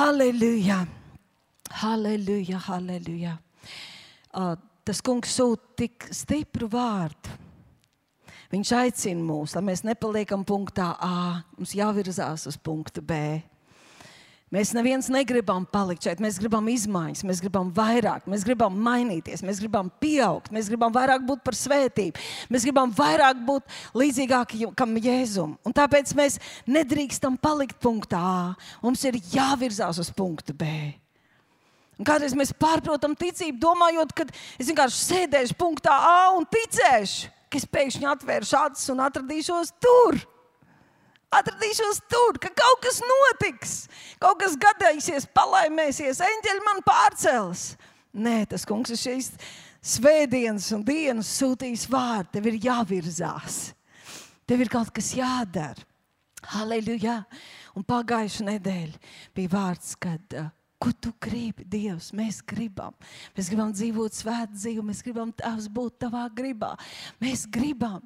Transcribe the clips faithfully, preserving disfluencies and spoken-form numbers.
Halleluja! Halleluja, halleluja! Uh, tas kungs sūta tik stipru vārdu. Viņš aicina mūs, lai mēs nepaliekam punktā A, mums jāvirzās uz punktu B. Mēs neviens negribam palikt šeit, mēs gribam izmaiņas, mēs gribam vairāk, mēs gribam mainīties, mēs gribam pieaugt, mēs gribam vairāk būt par svētību, mēs gribam vairāk būt līdzīgākam Jēzum. Un tāpēc mēs nedrīkstam palikt punktā A, mums ir jāvirzās uz punktu B. Un kādreiz mēs pārprotam ticību, domājot, ka es vienkārši sēdēšu punktā A un ticēšu, ka es pēkšņi atvēršu acis un atradīšos tur. Atradīšos tur, ka kaut kas notiks, kaut kas gadīsies, palaimēsies, eņģeļi man pārcels. Nē, tas kungs ir šīs svētdienas un dienas sūtījis vārdu. Tev ir jāvirzās. Tev ir kaut kas jādara. Halleluja! Un pagājušu nedēļu bija vārds, kad uh, ko tu gribi, Dievs? Mēs gribam. Mēs gribam dzīvot svētu dzīvi, mēs gribam Tavs būt Tavā gribā. Mēs gribam.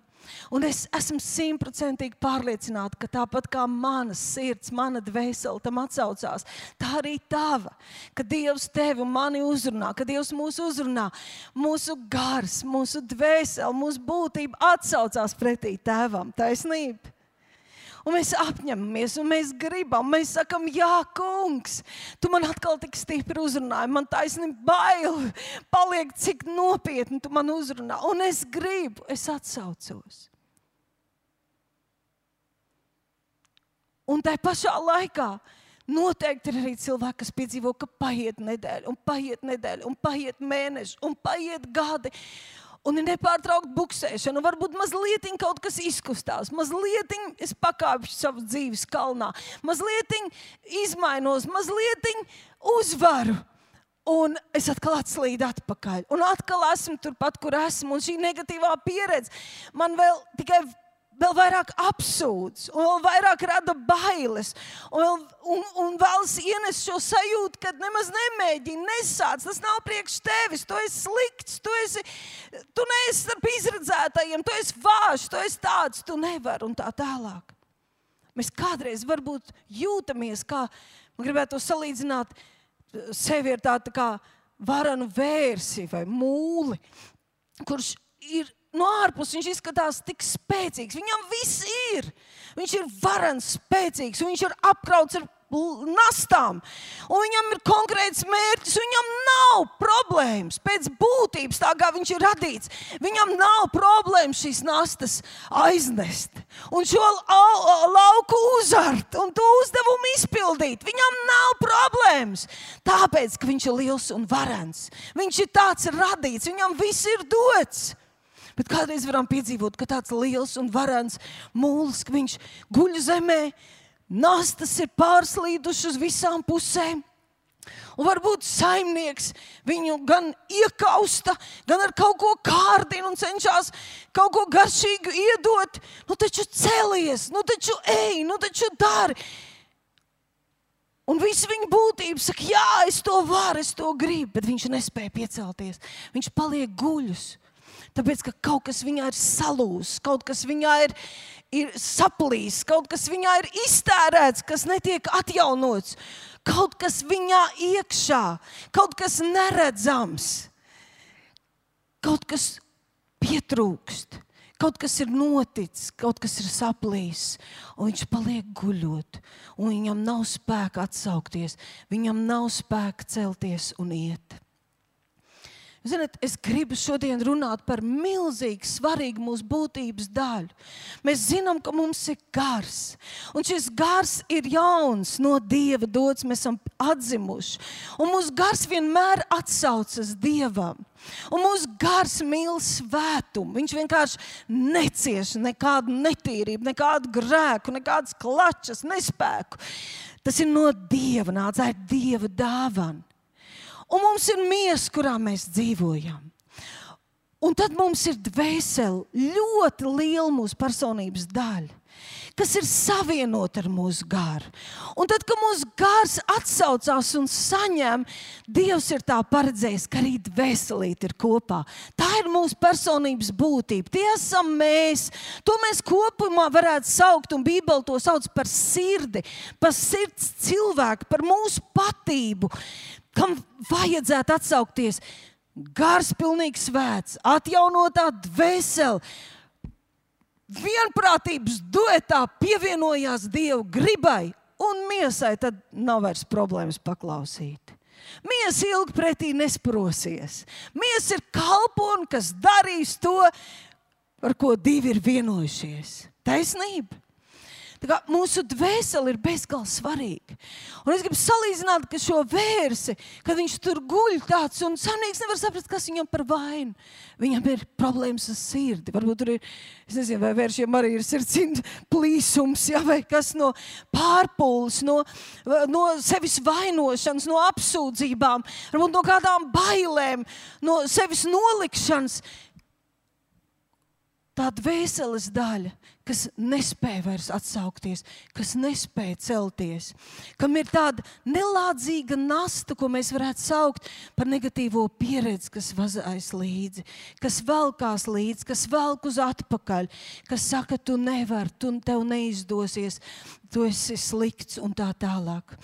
Un es esmu simtprocentīgi pārliecināta, ka tāpat kā mana sirds, mana dvēsele tam atsaucās, tā arī tava. Ka Dievs tevi un mani uzrunā, ka Dievs mūs uzrunā, mūsu gars, mūsu dvēsele, mūsu būtība atsaucās pretī Tēvam. Taisnība. Un mēs apņemamies, un mēs gribam, mēs sakam, jā, kungs, tu man atkal tik stipri uzrunāji, man taisnība bail, paliek cik nopietni tu man uzrunā, un es gribu, es atsaucos. Un tai pašā laikā noteikti ir arī cilvēki, kas piedzīvo, ka paiet nedēļa, un paiet nedēļa, un paiet mēneši, un paiet gadi, un ir nepārtraukt buksēšana, un varbūt mazlietiņ kaut kas izkustās, mazlietiņ es pakāpšu savu dzīves kalnā, mazlietiņ izmainos, mazlietiņ uzvaru, un es atkal atslīdu atpakaļ, un atkal esmu turpat, kur esmu, un šī negatīvā pieredze man vēl tikai vēl vairāk apsūdz, un vēl vairāk rada bailes, un, un, un vēlas ienest šo sajūtu, kad nemaz nemēģini, nesāc, tas nav priekš tevis, tu esi slikts, tu esi, tu neesi starp izredzētajiem, tu esi vāš, tu esi tāds, tu nevari, un tā tālāk. Mēs kādreiz varbūt jūtamies, kā, man gribētu to salīdzināt, sevi ir tāda kā varanu vērsi vai mūli, kurš ir no ārpus viņš izskatās tik spēcīgs. Viņam viss ir. Viņš ir varens, spēcīgs, un viņš ir apkrauts ar nastām. Un viņam ir konkrēts mērķis, viņam nav problēmas pēc būtības, tā kā viņš ir radīts. Viņam nav problēmas šīs nastas aiznest. Un šo lauku uzart un to uzdevumu izpildīt. Viņam nav problēmas. Tāpēc, ka viņš ir liels un varens. Viņš ir tāds radīts, viņam viss ir dots. Bet kādreiz varam piedzīvot, ka tāds liels un varens mūlis, ka viņš guļ zemē, nastas ir pārslīdušas uz visām pusēm. Un varbūt saimnieks viņu gan iekausta, gan ar kaut ko kārdina un cenšas kaut ko garšīgu iedot. Nu taču celies, nu taču ej, nu taču dari. Un visu viņa būtību saka, jā, es to varu, es to gribu, bet viņš nespēja piecelties. Viņš paliek guļus. Tāpēc, ka kaut kas viņā ir salūs, kaut kas viņā ir, ir saplīs, kaut kas viņā ir iztērēts, kas netiek atjaunots, kaut kas viņā iekšā, kaut kas neredzams, kaut kas pietrūkst, kaut kas ir noticis, kaut kas ir saplīs, un viņš paliek guļot, un viņam nav spēka atsaukties, viņam nav spēka celties un iet. Ziniet, es gribu šodien runāt par milzīgi svarīgu mūsu būtības daļu. Mēs zinām, ka mums ir gars. Un šis gars ir jauns, no Dieva dots, mēs esam atzimuši. Un mūsu gars vienmēr atsaucas Dievam. Un mūsu gars mīl svētumu. Viņš vienkārši necieš nekādu netīrību, nekādu grēku, nekādas klačas, nespēku. Tas ir no Dieva nāc, tā ir Dieva dāvana. Un mums ir miesa, kurā mēs dzīvojam. Un tad mums ir dvēsele, ļoti liela mūsu personības daļa, kas ir savienota ar mūsu garu. Un tad, kad mūsu gars atsaucās un saņem, Dievs ir tā paredzējis, ka arī dvēselīte ir kopā. Tā ir mūsu personības būtība. Tie esam mēs. To mēs kopumā varētu saukt, un Bībele to sauc par sirdi, par sirds cilvēku, par mūsu patību, kam vajadzētu atsaukties. Gars pilnīgi svēts, atjaunotā dvēsele, vienprātības duetā pievienojās Dieva gribai, un miesai tad nav vairs problēmas paklausīt. Miesa ilgi pretī nesprosies. Miesa ir kalpone, kas darīs to, par ko divi ir vienojušies. Taisnība. Tā kā mūsu dvēsele ir bezgalīgi svarīga. Un es gribu salīdzināt, ka šo vērsi, kad viņš tur guļ tāds, un saimnieks nevar saprast, kas viņam par vainu. Viņam ir problēmas ar sirdi. Varbūt tur ir, es nezinu, vai vēršiem arī ir sirds plīsums, ja, vai kas no pārpūles, no, no sevis vainošanas, no apsūdzībām, varbūt no kādām bailēm, no sevis nolikšanas. Tā dvēseles daļa, kas nespēja vairs atsaukties, kas nespēja celties, kam ir tāda nelādzīga nasta, ko mēs varētu saukt par negatīvo pieredzi, kas vazājas līdzi, kas velkās līdzi, kas velk uz atpakaļ, kas saka, tu nevari, tu, tev neizdosies, tu esi slikts un tā tālāk.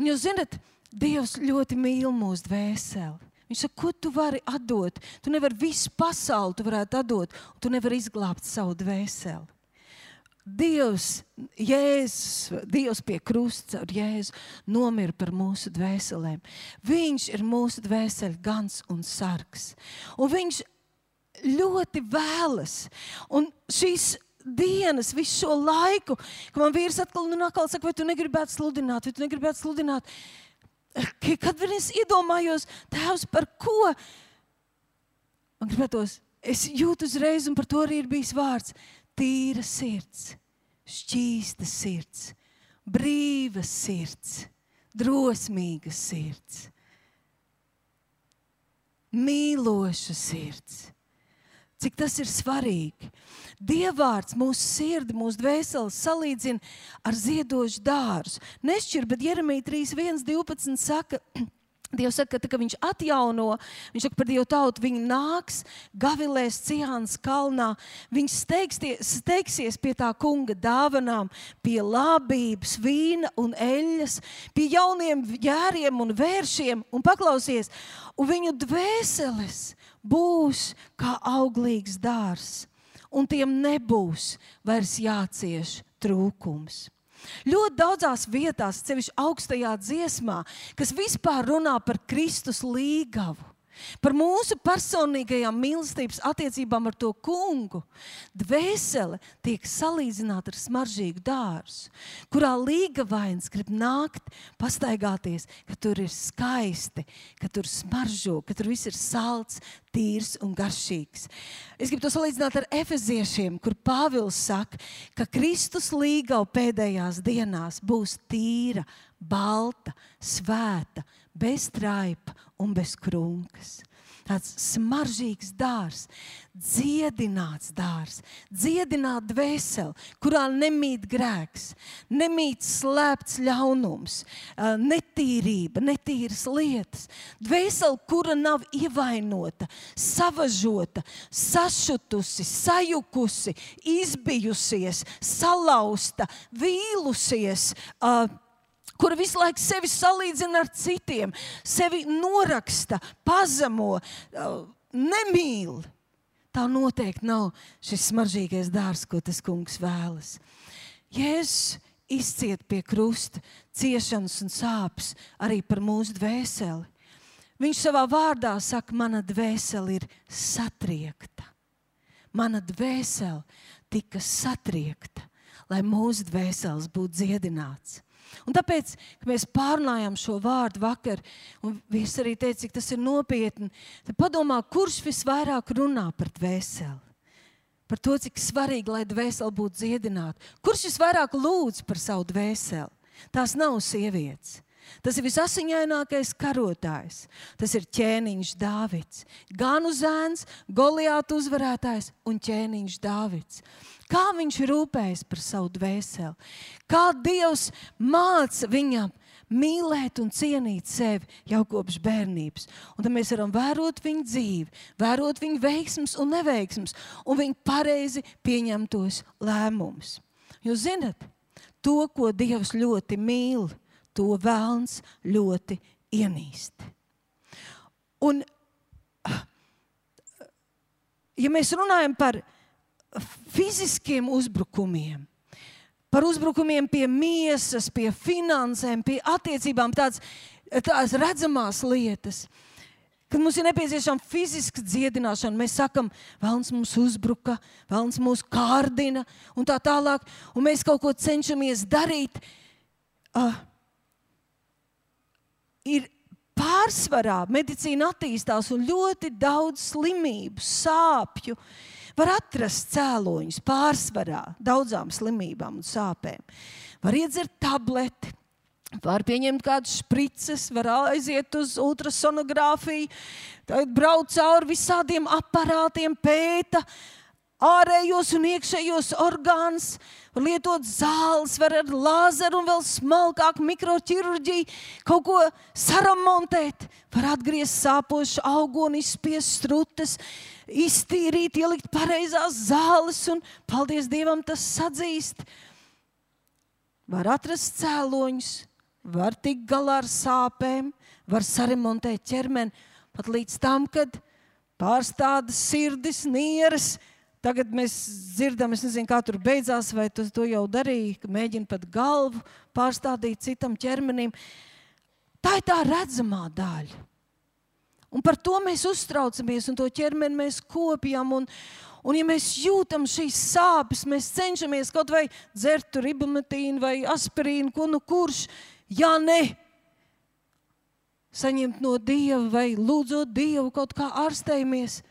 Un jūs zinat, Dievs ļoti mīl mūsu dvēseli. Viņš saka, ko tu vari atdot? Tu nevari visu pasauli, tu varētu atdot, un tu nevari izglābt savu dvēseli. Dievs, Jēzus, Dievs pie krusta ar Jēzu nomira par mūsu dvēselēm. Viņš ir mūsu dvēseli gans un sargs. Un viņš ļoti vēlas. Un šīs dienas, visu šo laiku, ka man vīrs atkal un atkal saka, vai tu negribētu sludināt, vai tu negribētu sludināt. Kad es iedomājos, Tēvs, par ko? Man gribētos, es jūtu uzreiz, un par to arī ir bijis vārds. Tīra sirds, šķīsta sirds, brīva sirds, drosmīga sirds, mīloša sirds. Cik tas ir svarīgi. Dievvārds mūsu sirdi, mūsu dvēseli salīdzina ar ziedošu dārzu. Nešķir, bet Jeremija trīs viens divpadsmit saka, Dievs saka, ka, ka viņš atjauno, viņš saka par Dievu tautu, viņi nāks, gavilēs Ciānas kalnā, viņš steigsies, steigsies pie tā kunga dāvanām, pie labības, vīna un eļas, pie jauniem ģēriem un vēršiem, un paklausies, un viņu dvēseles būs kā auglīgs dārs, un tiem nebūs vairs jācieš trūkums. Ļoti daudzās vietās, sevišķi augstajā dziesmā, kas vispār runā par Kristus līgavu, par mūsu personīgajām mīlestības attiecībām ar to kungu, dvēsele tiek salīdzināta ar smaržīgu dārzu, kurā līgavains grib nākt, pastaigāties, ka tur ir skaisti, ka tur smaržo, ka tur viss ir salds, tīrs un garšīgs. Es gribu to salīdzināt ar efeziešiem, kur Pāvils saka, ka Kristus līgava pēdējās dienās būs tīra, balta, svēta, bez traipa un bez krunkas. Tāds smaržīgs dārs, dziedināts dārs, dziedināt dvēseli, kurā nemīt grēks, nemīt slēpts ļaunums, netīrība, netīras lietas. Dvēseli, kura nav ievainota, savažota, sašutusi, sajukusi, izbijusies, salauzta, vīlusies, uh, kura visu laiku sevi salīdzina ar citiem, sevi noraksta, pazemo, nemīl. Tā noteikti nav šis smaržīgais dārs, ko tas kungs vēlas. Jēzus izciet pie krusta ciešanas un sāpes arī par mūsu dvēseli. Viņš savā vārdā saka, mana dvēsele ir satriekta. Mana dvēsele tika satriekta, lai mūsu dvēseles būtu dziedināts. Un tāpēc, kad mēs pārnājām šo vārdu vakar, un vīrs arī teica, cik tas ir nopietni, tad padomā, kurš visvairāk runā par dvēseli? Par to, cik svarīgi, lai dvēseli būtu dziedināta. Kurš visvairāk lūdz par savu dvēseli? Tās nav sievietes. Tas ir visasiņainākais karotājs. Tas ir ķēniņš Dāvids. Ganu zēns, Goliātu uzvarētājs un ķēniņš Dāvids. kā viņš rūpējas par savu dvēseli, kā Dievs māca viņam mīlēt un cienīt sevi jau kopš bērnības. Un tad mēs varam vērot viņu dzīvi, vērot viņu veiksmus un neveiksmus, un viņu pareizi pieņemtos lēmumus. Jūs zinat, to, ko Dievs ļoti mīl, to velns ļoti ienīst. Un, ja mēs runājam par fiziskiem uzbrukumiem, par uzbrukumiem pie miesas, pie finansēm, pie attiecībām, tāds, tās redzamās lietas, kad mums ir nepieciešama fiziska dziedināšana, mēs sakam, velns mums uzbruka, velns mūs kārdina un tā tālāk, un mēs kaut ko cenšamies darīt, uh, ir pārsvarā medicīna attīstās un ļoti daudz slimību, sāpju, var atrast cēloņus pārsvarā daudzām slimībām un sāpēm. Var iedzert tableti, var pieņemt kādas šprices, var aiziet uz ultrasonogrāfiju, brauc cauri visādiem aparātiem, pēta ārējos un iekšējos orgānus, var lietot zāles, var ar lāzeru un vēl smalkāk mikroķirurģiju kaut ko saramontēt, var atgriezt sāpošu augoni, izspiest strutes, iztīrīt, ielikt pareizās zāles un, paldies Dievam, tas sadzīst. Var atrast cēloņus, var tikt galā ar sāpēm, var saremontēt ķermeni, pat līdz tam, kad pārstādas sirdis, nieres. Tagad mēs dzirdam, es nezinu, kā tur beidzās, vai tu to jau darīja, ka mēģina pat galvu pārstādīt citam ķermenim. Tā ir tā redzamā daļa. Un par to mēs uztraucamies, un to ķermeni mēs kopjam, un, un ja mēs jūtam šīs sāpes, mēs cenšamies kaut vai dzert ibumetīnu vai aspirīnu, ko nu kurš, ja ne, saņemt no Dieva vai lūdzot Dievu kaut kā ārstējamies.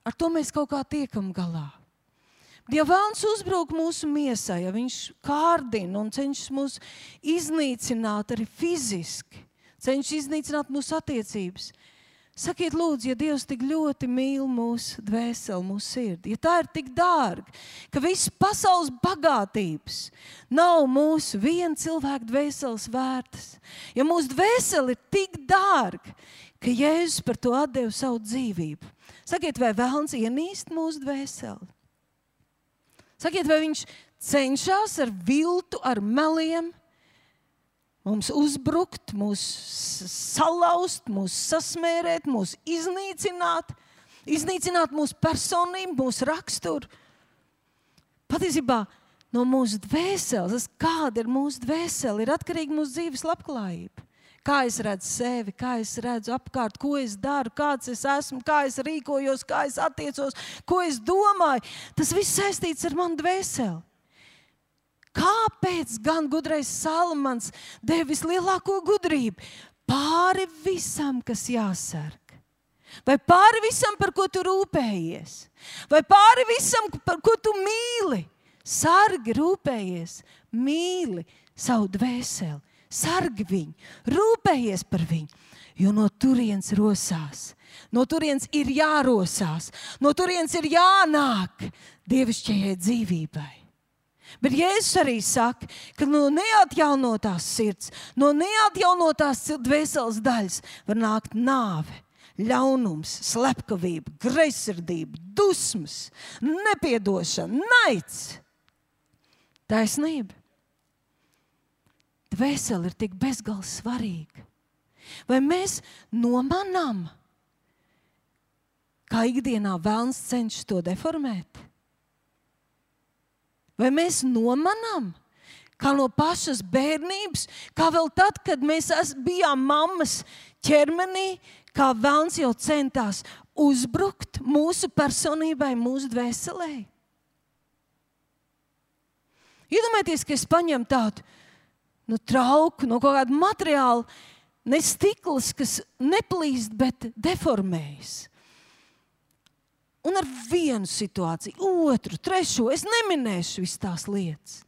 Ar to mēs kaut kā tiekam galā. Ja velns uzbruk mūsu miesai, ja viņš kārdina un cenšas mūs iznīcināt arī fiziski, cenšas iznīcināt mūsu attiecības, sakiet lūdzu, ja Dievs tik ļoti mīl mūsu dvēseli, mūsu sirdi, ja tā ir tik dārga, ka viss pasaules bagātības nav mūsu viena cilvēka dvēseles vērtas, ja mūsu dvēseli ir tik dārga, ka Jēzus par to atdeva savu dzīvību. Sakiet, vai velns ienīst mūsu dvēseli? Sakiet, vai viņš cenšas ar viltu, ar meliem mums uzbrukt, mūs salauzt, mūs sasmērēt, mūs iznīcināt, iznīcināt mūsu personību, mūsu raksturu? Patiesībā no mūsu dvēseles, kāda ir mūsu dvēsele, ir atkarīga mūsu dzīves labklājība. Kā es redzu sevi, kā es redzu apkārt, ko es daru, kāds es esmu, kā es rīkojos, kā es attiecos, ko es domāju. Tas viss saistīts ar manu dvēseli. Kāpēc gan gudrais Salamans deva vislielāko gudrību? Pāri visam, kas jāsarg. Vai pāri visam, par ko tu rūpējies? Vai pāri visam, par ko tu mīli? Sargi, rūpējies, mīli savu dvēseli. Sargi viņu, rūpējies par viņu, jo no turienes rosās, no turienes ir jārosās, no turienes ir jānāk dievišķajai dzīvībai. Bet Jēzus arī saka, ka no neatjaunotās sirds, no neatjaunotās dvēseles daļas var nākt nāve, ļaunums, slepkavība, greizsirdība, dusmas, nepiedošana, naids, taisnība. Dvēsele ir tik bezgalīgi svarīga. Vai mēs nomanām, kā ikdienā velns cenšas to deformēt? Vai mēs nomanām, kā no pašas bērnības, kā vēl tad, kad mēs bijām mammas ķermenī, kā velns jau centās uzbrukt mūsu personībai, mūsu dvēselē? Iedomājieties, ka es paņemu tādu nu, trauku, no kaut kāda materiāla, ne stikls, kas neplīst, bet deformējas. Un ar vienu situāciju, otru, trešo, es neminēšu visas tās lietas.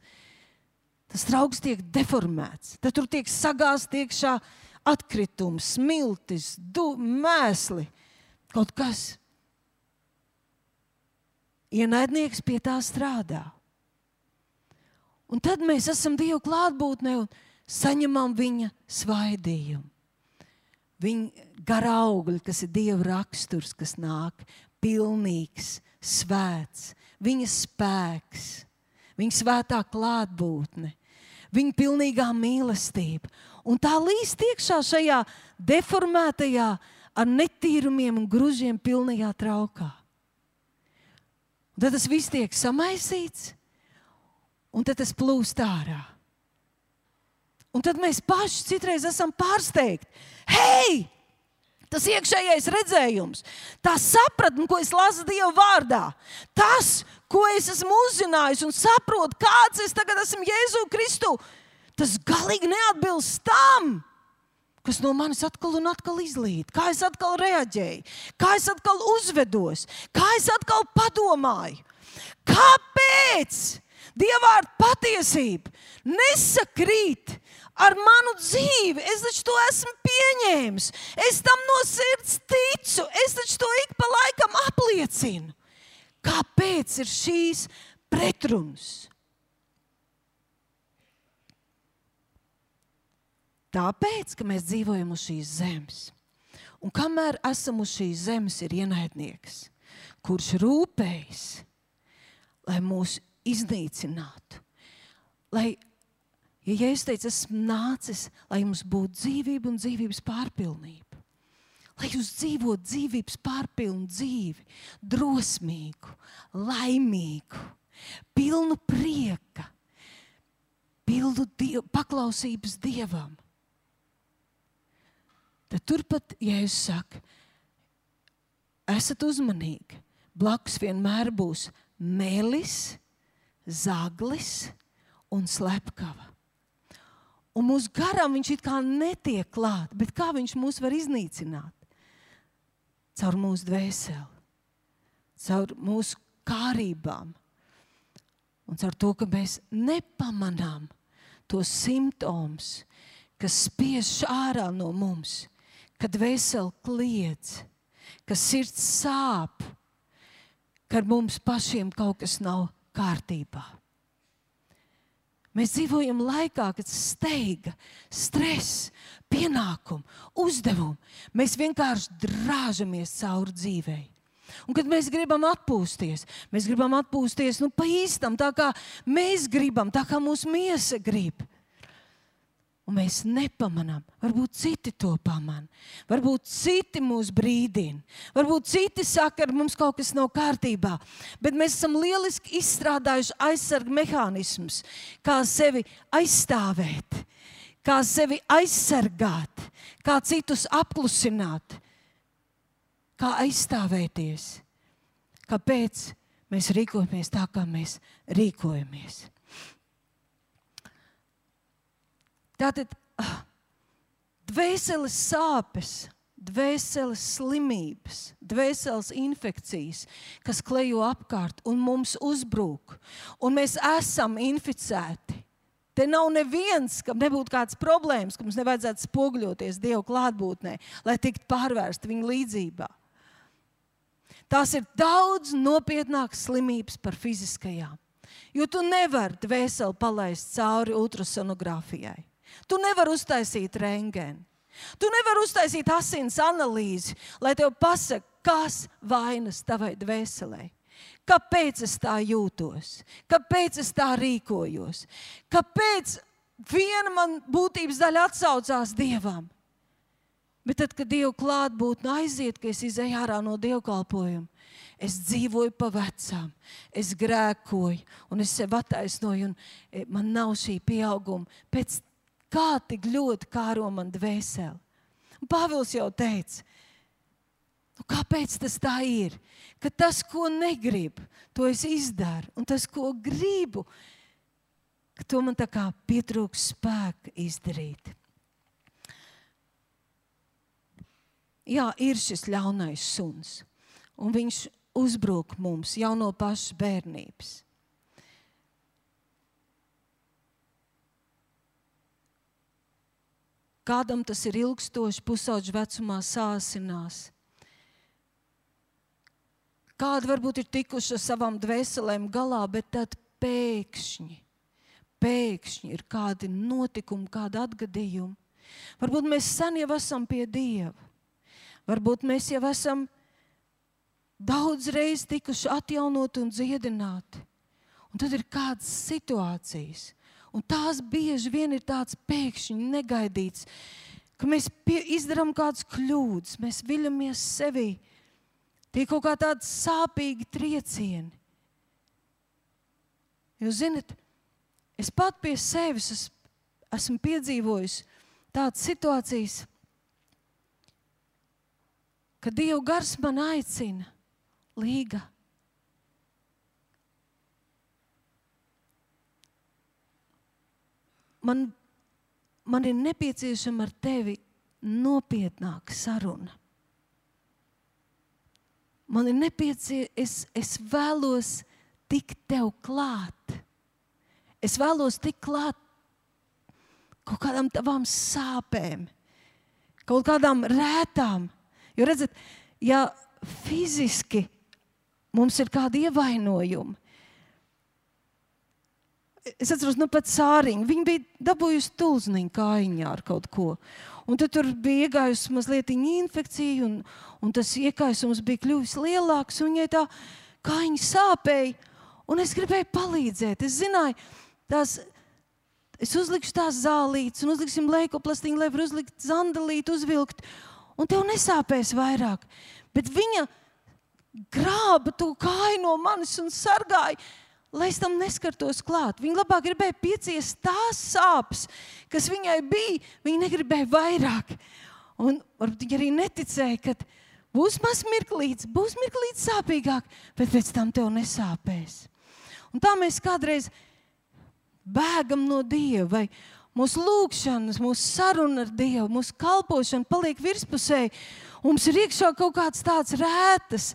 Tas trauks tiek deformēts. Tad tur tiek sagāzt iekšā atkritums, smiltis, du, mēsli, kaut kas. ienaidnieks pie tā strādā. Un tad mēs esam Dieva klātbūtnē un saņemam viņa svaidījumu. Viņa gara augļi, kas ir Dieva raksturs, kas nāk, pilnīgs, svēts, viņa spēks, viņa svētā klātbūtne, viņa pilnīgā mīlestība. Un tā līst iekšā šajā deformētajā, ar netīrumiem un gružiem pilnajā traukā. Un tad tas viss tiek samaisīts, un tad tas plūst ārā. Un tad mēs paši citreiz esam pārsteigti. Hei! Tas iekšējais redzējums, tā sapratne, ko es lasu Dieva vārdā, tas, ko es esmu uzzinājis un saprotu, kāds es tagad esmu Jēzu Kristu, tas galīgi neatbilst tam, kas no manis atkal un atkal izlīd. Kā es atkal reaģēju, kā es atkal uzvedos, kā es atkal padomāju. Kāpēc Dieva vārda patiesība nesakrīt ar manu dzīvi? Es taču to esmu pieņēmis. Es tam no sirds ticu. Es taču to ik pa laikam apliecinu. Kāpēc ir šīs pretrunas? Tāpēc, ka mēs dzīvojam uz šīs zemes. Un kamēr esam uz šīs zemes, ir ienaidnieks, kurš rūpējas, lai mūs iznīcinātu. Lai, ja Jēzus teica, esmu nācis, lai jums būtu dzīvība un dzīvības pārpilnība. Lai jūs dzīvot dzīvības pārpilnu dzīvi, drosmīgu, laimīgu, pilnu prieka, pilnu diev, paklausības Dievam. Tad turpat Jēzus saka, esat uzmanīgi, blakus vienmēr būs melis, zaglis un slepkava. Un mūsu garam viņš it kā netiek klāt, bet kā viņš mūs var iznīcināt? Caur mūsu dvēseli, caur mūsu kārībām un caur to, ka mēs nepamanām tos simptomus, kas spiež ārā no mums, kad dvēseli kliedz, ka sirds sāp, ka ar mums pašiem kaut kas nav kārtībā. Mēs dzīvojam laikā, kad steiga, stress, pienākumu, uzdevumu. Mēs vienkārši drāžamies cauri dzīvei. Un kad mēs gribam atpūsties, mēs gribam atpūsties nu, pa īstam, tā kā mēs gribam, tā kā mūsu miesa grib. Un mēs nepamanām. Varbūt citi to pamana. Varbūt citi mūs brīdina. Varbūt citi saka, ka mums kaut kas nav kārtībā. Bet mēs esam lieliski izstrādājuši aizsargu mehānismus, kā sevi aizstāvēt, kā sevi aizsargāt, kā citus apklusināt, kā aizstāvēties. Kāpēc mēs rīkojamies tā, kā mēs rīkojamies? Tātad dvēseles sāpes, dvēseles slimības, dvēseles infekcijas, kas klejo apkārt un mums uzbrūk, un mēs esam inficēti. Te nav neviens, kam nebūtu kāds problēmas, ka mums nevajadzētu spoguļoties Dieva klātbūtnē, lai tiktu pārvērsta viņa līdzībā. Tās ir daudz nopietnākas slimības par fiziskajām, jo tu nevari dvēseli palaist cauri ultrasonogrāfijai. Tu nevari uztaisīt rentgenu. Tu nevari uztaisīt asins analīzi, lai tev pasaka, kas vainas tavai dvēselē. Kāpēc es tā jūtos? Kāpēc es tā rīkojos? Kāpēc viena man būtības daļa atsaucās Dievam? Bet tad, kad Dieva klātbūtne aiziet, ka es izēju ārā no dievkalpojuma, es dzīvoju pa vecām, es grēkoju un es sev attaisnoju un man nav šī pieauguma. Pēc kā tik ļoti kāro man dvēseli. Un Pāvils jau teica, nu kāpēc tas tā ir? Ka tas, ko negribu, to es izdaru. Un tas, ko gribu, ka to man tā kā pietrūks spēka izdarīt. Jā, ir šis ļaunais suns. Un viņš uzbrūk mums jau no pašas bērnības. Kādam tas ir ilgstoši, pusauģu vecumā sāsinās. kādi varbūt ir tikuši ar savām dvēselēm galā, bet tad pēkšņi, pēkšņi ir kādi notikumi, kādi atgadījumi. Varbūt mēs sen jau esam pie Dieva. Varbūt mēs jau esam daudz reiz tikuši atjaunoti un dziedināti. Un tad ir kādas situācijas. Un tās bieži vien ir tāds pēkšņi negaidīts, ka mēs pie, izdarām kādas kļūdas, mēs viļamies sevī. Tie kaut kā tādi sāpīgi triecieni. Jūs zinat, es pat pie sevis es, esmu piedzīvojis tādas situācijas, ka Dieva gars man aicina, Līga, man, man ir nepieciešama ar tevi nopietnāka saruna. Man ir nepieciešama, es, es vēlos tikt tev klāt. Es vēlos tikt klāt kaut kādām tavām sāpēm, kaut kādām rētām. Jo redzat, ja fiziski mums ir kādi ievainojumi, es atceros, nu pat Sāriņa, viņa bija dabūjusi tulzniņu kājiņā ar kaut ko. Un tad tur bija iegājusi mazliet infekcija, un, un tas iekaisums bija kļuvis lielāks, un viņai tā kājiņa sāpēja, un es gribēju palīdzēt. Es zināju, tās, es uzlikšu tās zālītes, un uzliksim leikoplastiņu, lai var uzlikt zandalīti, uzvilkt, un tev nesāpēs vairāk. Bet viņa grāba to kāju no manis un sargāja, lai es tam neskartos klāt. Viņa labāk gribēja pieciest tās sāpes, kas viņai bija, viņa negribēja vairāk. Un varbūt viņa arī neticēja, ka būs maz mirklīts, būs mirklīts sāpīgāk, bet pēc tam tev nesāpēs. Un tā mēs kādreiz bēgam no Dieva, vai mūsu lūgšanas, mūsu saruna ar Dievu, mūsu kalpošana paliek virspusēji. Mums ir iekšā kaut kāds tāds rētas,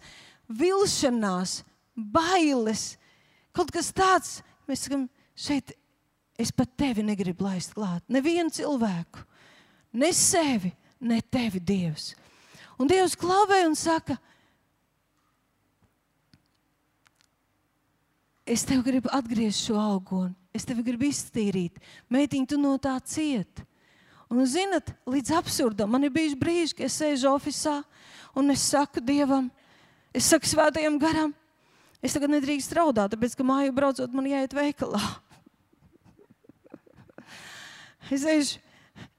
vilšanās, bailes, kaut kas tāds, mēs sakam, šeit es pat tevi negribu laist klāt. Nevienu cilvēku, ne sevi, ne tevi, Dievs. Un Dievs klavē un saka, es tev gribu atgriezt šo augoni, es tevi gribu iztīrīt. Meitiņ, tu no tā ciet. Un, zinat, līdz absurdam, man ir bijuši brīži, ka es sēžu ofisā un es saku Dievam, es saku svētajam garam, es tagad nedrīkst raudāt, tāpēc, ka māju braucot man jāiet veikalā. Es eju,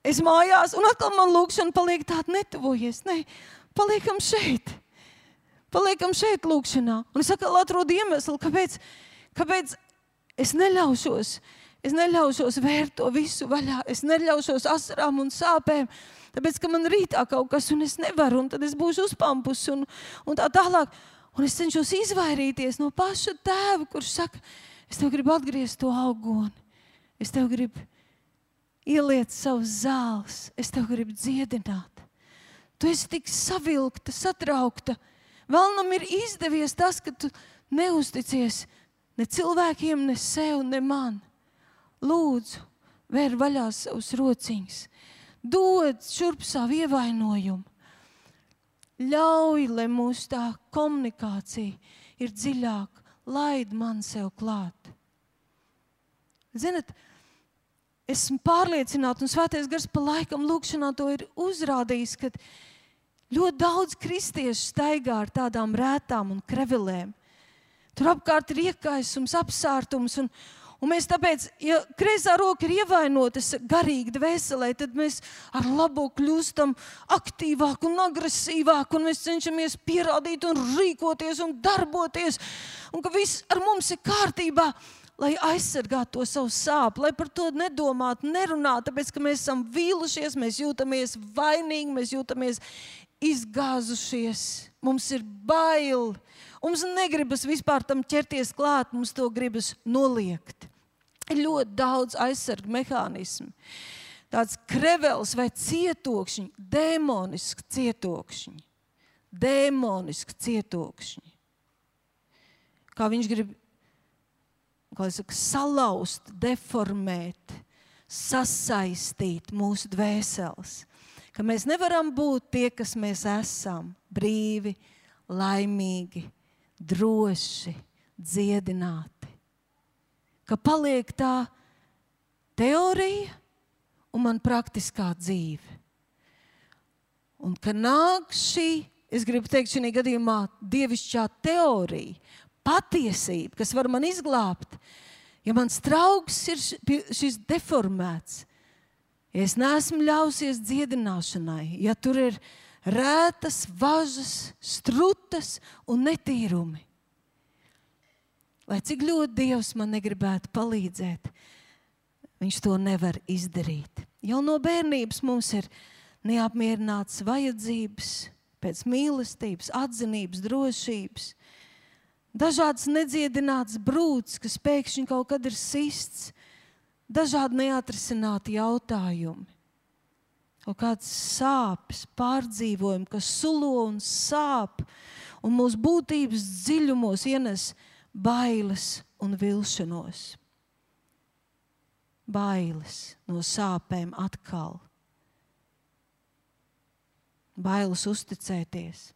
es mājās, un atkal man lūkšana paliek tāda netuvojies. Nē, paliekam šeit. Paliekam šeit lūkšanā. Un es atkal atrodu iemeslu, kāpēc, kāpēc es neļaušos, es neļaušos vērt to visu vaļā. Es neļaušos asarām un sāpēm, tāpēc, ka man rītā kaut kas, un es nevaru, un tad es būšu uzpampus, un, un tā tālāk. Un es cenšos izvairīties no paša tēva, kurš saka, es tev gribu atgriezt to augoni. Es tev gribu ieliet savus zāles. Es tev gribu dziedināt. Tu esi tik savilkta, satraukta. Vēlnam ir izdevies tas, ka tu neusticies ne cilvēkiem, ne sev, ne man. Lūdzu, vēr vaļā savus rociņus. Dod šurp savu ievainojumu. Ļauj, lai mūsu tā komunikācija ir dziļāka. Laid man sev klāt. Zinat, esmu pārliecināta, un Svētais Gars pa laikam lūkšanā to ir uzrādījis, ka ļoti daudz kristiešu staigā ar tādām rētām un krevelēm. Tur apkārt ir iekaisums, apsārtums, un, un mēs tāpēc, ja kreisā roka ir ievainotas garīgi dvēselē, tad mēs ar labo kļūstam aktīvāk un agresīvāk, un mēs cenšamies pierādīt un rīkoties un darboties, un ka viss ar mums ir kārtībā, lai aizsargātu to savu sāpu, lai par to nedomātu, nerunātu, tāpēc, ka mēs esam vīlušies, mēs jūtamies vainīgi, mēs jūtamies izgāzušies, mums ir bail. Mums negribas vispār tam ķerties klāt, mums to gribas noliegt. Ir ļoti daudz aizsargu mehānismu. Tāds krevels vai cietokšņi, dēmoniski cietokšņi. Dēmoniski cietokšņi. Kā viņš grib, kā es saku, salauzt, deformēt, sasaistīt mūsu dvēseles. Ka mēs nevaram būt tie, kas mēs esam, brīvi, laimīgi, droši, dziedināti. Ka paliek tā teorija un man praktiskā dzīve. Un ka nāk šī, es gribu teikt šī gadījumā, dievišķā teorija, patiesība, kas var man izglābt. Ja mans trauks ir šis deformēts, ja es neesmu ļausies dziedināšanai, ja tur ir rētas, važas, strutas un netīrumi. Lai cik ļoti Dievs man negribētu palīdzēt, viņš to nevar izdarīt. Jau no bērnības mums ir neapmierināts vajadzības, pēc mīlestības, atzinības, drošības. Dažāds nedziedināts brūds, kas pēkšņi kaut kad ir sists. Dažādi neatrisināti jautājumi. Kaut kāds sāpes, pārdzīvojumi, kas sulo un sāp. Un mūsu būtības dziļumos ienes bailes un vilšanos. Bailes no sāpēm atkal. Bailes uzticēties.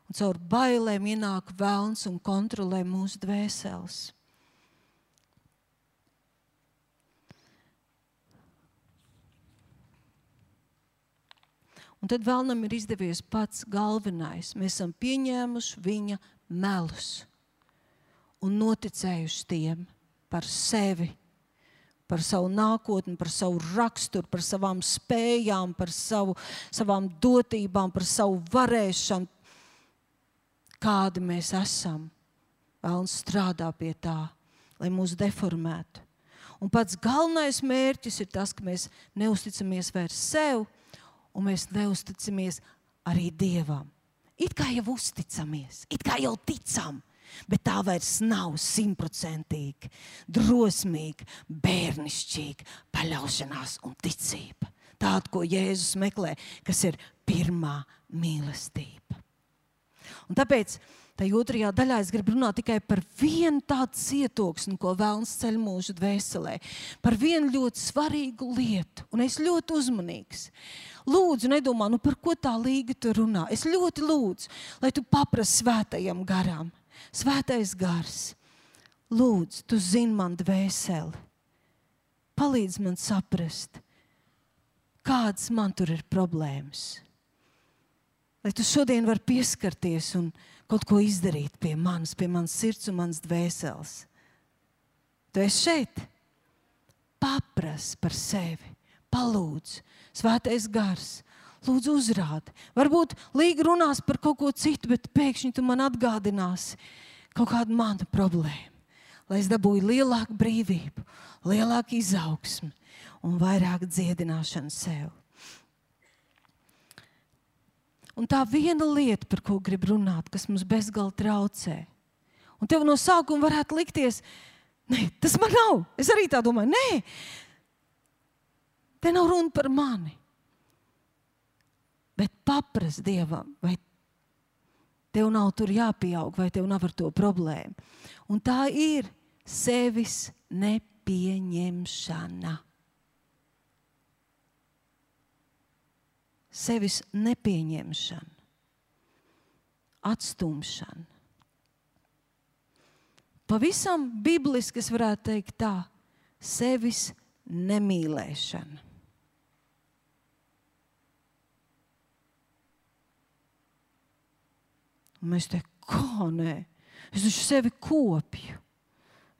Un caur bailēm ienāk velns un kontrolē mūsu dvēseles. Un tad vēlnam ir izdevies pats galvenais. Mēs esam pieņēmuši viņa melus un noticējuši tiem par sevi, par savu nākotni, par savu raksturu, par savām spējām, par savu, savām dotībām, par savu varēšanu, kādi mēs esam. Vēlns strādā pie tā, lai mūs deformētu. Un pats galvenais mērķis ir tas, ka mēs neusticamies vairs sev, un mēs neusticamies arī Dievam. It kā jau uzticamies, it kā jau ticam, bet tā vairs nav simtprocentīgi, drosmīgi, bērnišķīgi paļaušanās un ticība. Tāda, ko Jēzus meklē, kas ir pirmā mīlestība. Un tāpēc tajā otrajā daļā es gribu runāt tikai par vienu tādu cietoksni, ko vēlns ceļ mūsu dvēselē. Par vienu ļoti svarīgu lietu. Un es ļoti uzmanīgs. Lūdzu, nedomā, nu par ko tā Līga tu runā. Es ļoti lūdzu, lai tu paprasti svētajam garam. Svētais gars. Lūdzu, tu zini man dvēseli. Palīdz man saprast, kādas man tur ir problēmas. Lai tu šodien vari pieskarties un kaut ko izdarīt pie manis, pie manas sirds un manas dvēseles. Tu esi šeit. Papras par sevi. Palūdz. Svētais gars. Lūdzu uzrādi. Varbūt Līga runās par kaut ko citu, bet pēkšņi tu man atgādināsi kaut kādu manu problēmu. Lai es dabūju lielāku brīvību, lielāku izaugsmi un vairāk dziedināšanu sev. Un tā viena lieta, par ko grib runāt, kas mums bezgalīgi traucē. Un tev no sākuma varētu likties, nē, tas man nav. Es arī tā domāju, nē, te nav runa par mani. Bet paprast Dievam, vai tev nav tur jāpieaug, vai tev nav ar to problēmu. Un tā ir sevis nepieņemšana. Sevis nepieņemšana, atstumšana. Pavisam bibliski es varētu teikt tā, sevis nemīlēšana. Un mēs te, kā nē, es taču sevi kopju,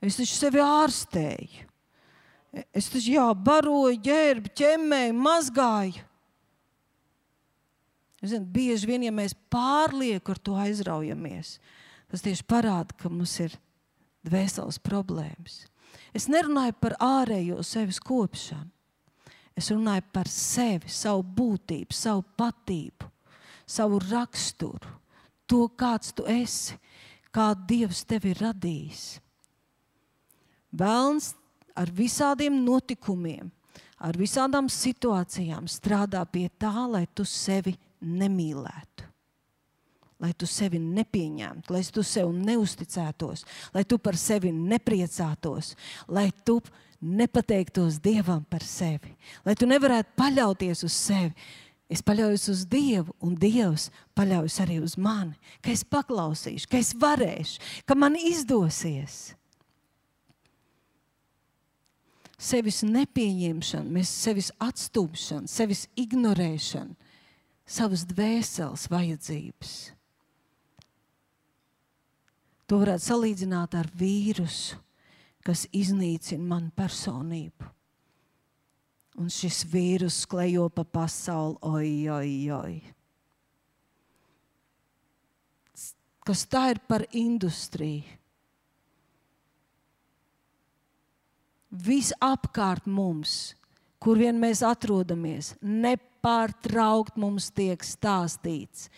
es taču sevi ārstēju, es taču jā, baroju, ģērbu, ķemmēju, mazgāju. Zinu, bieži vien, ja mēs pārlieku ar to aizraujamies, tas tieši parāda, ka mums ir dvēseles problēmas. Es nerunāju par ārējo sevis kopšanu. Es runāju par sevi, savu būtību, savu patību, savu raksturu, to, kāds tu esi, kādu Dievs tevi ir radījis. Velns ar visādiem notikumiem, ar visādām situācijām strādā pie tā, lai tu sevi nemīlētu, lai tu sevi nepieņemtu, lai tu sev neusticētos, lai tu par sevi nepriecātos, lai tu nepateiktos Dievam par sevi, lai tu nevarētu paļauties uz sevi. Es paļaujos uz Dievu, un Dievs paļaujas arī uz mani, ka es paklausīšu, ka es varēšu, ka man izdosies. Sevis nepieņemšana, mēs sevis atstūmšana, sevis ignorēšana, savas dvēseles vajadzības. To varētu salīdzināt ar vīrusu, kas iznīcina manu personību. Un šis vīrus klejo pa pasauli, oj, oj, oj. Kas tā ir par industriju? Visapkārt mums, kur vien mēs atrodamies, nepārtraukt mums tiek stāstīts,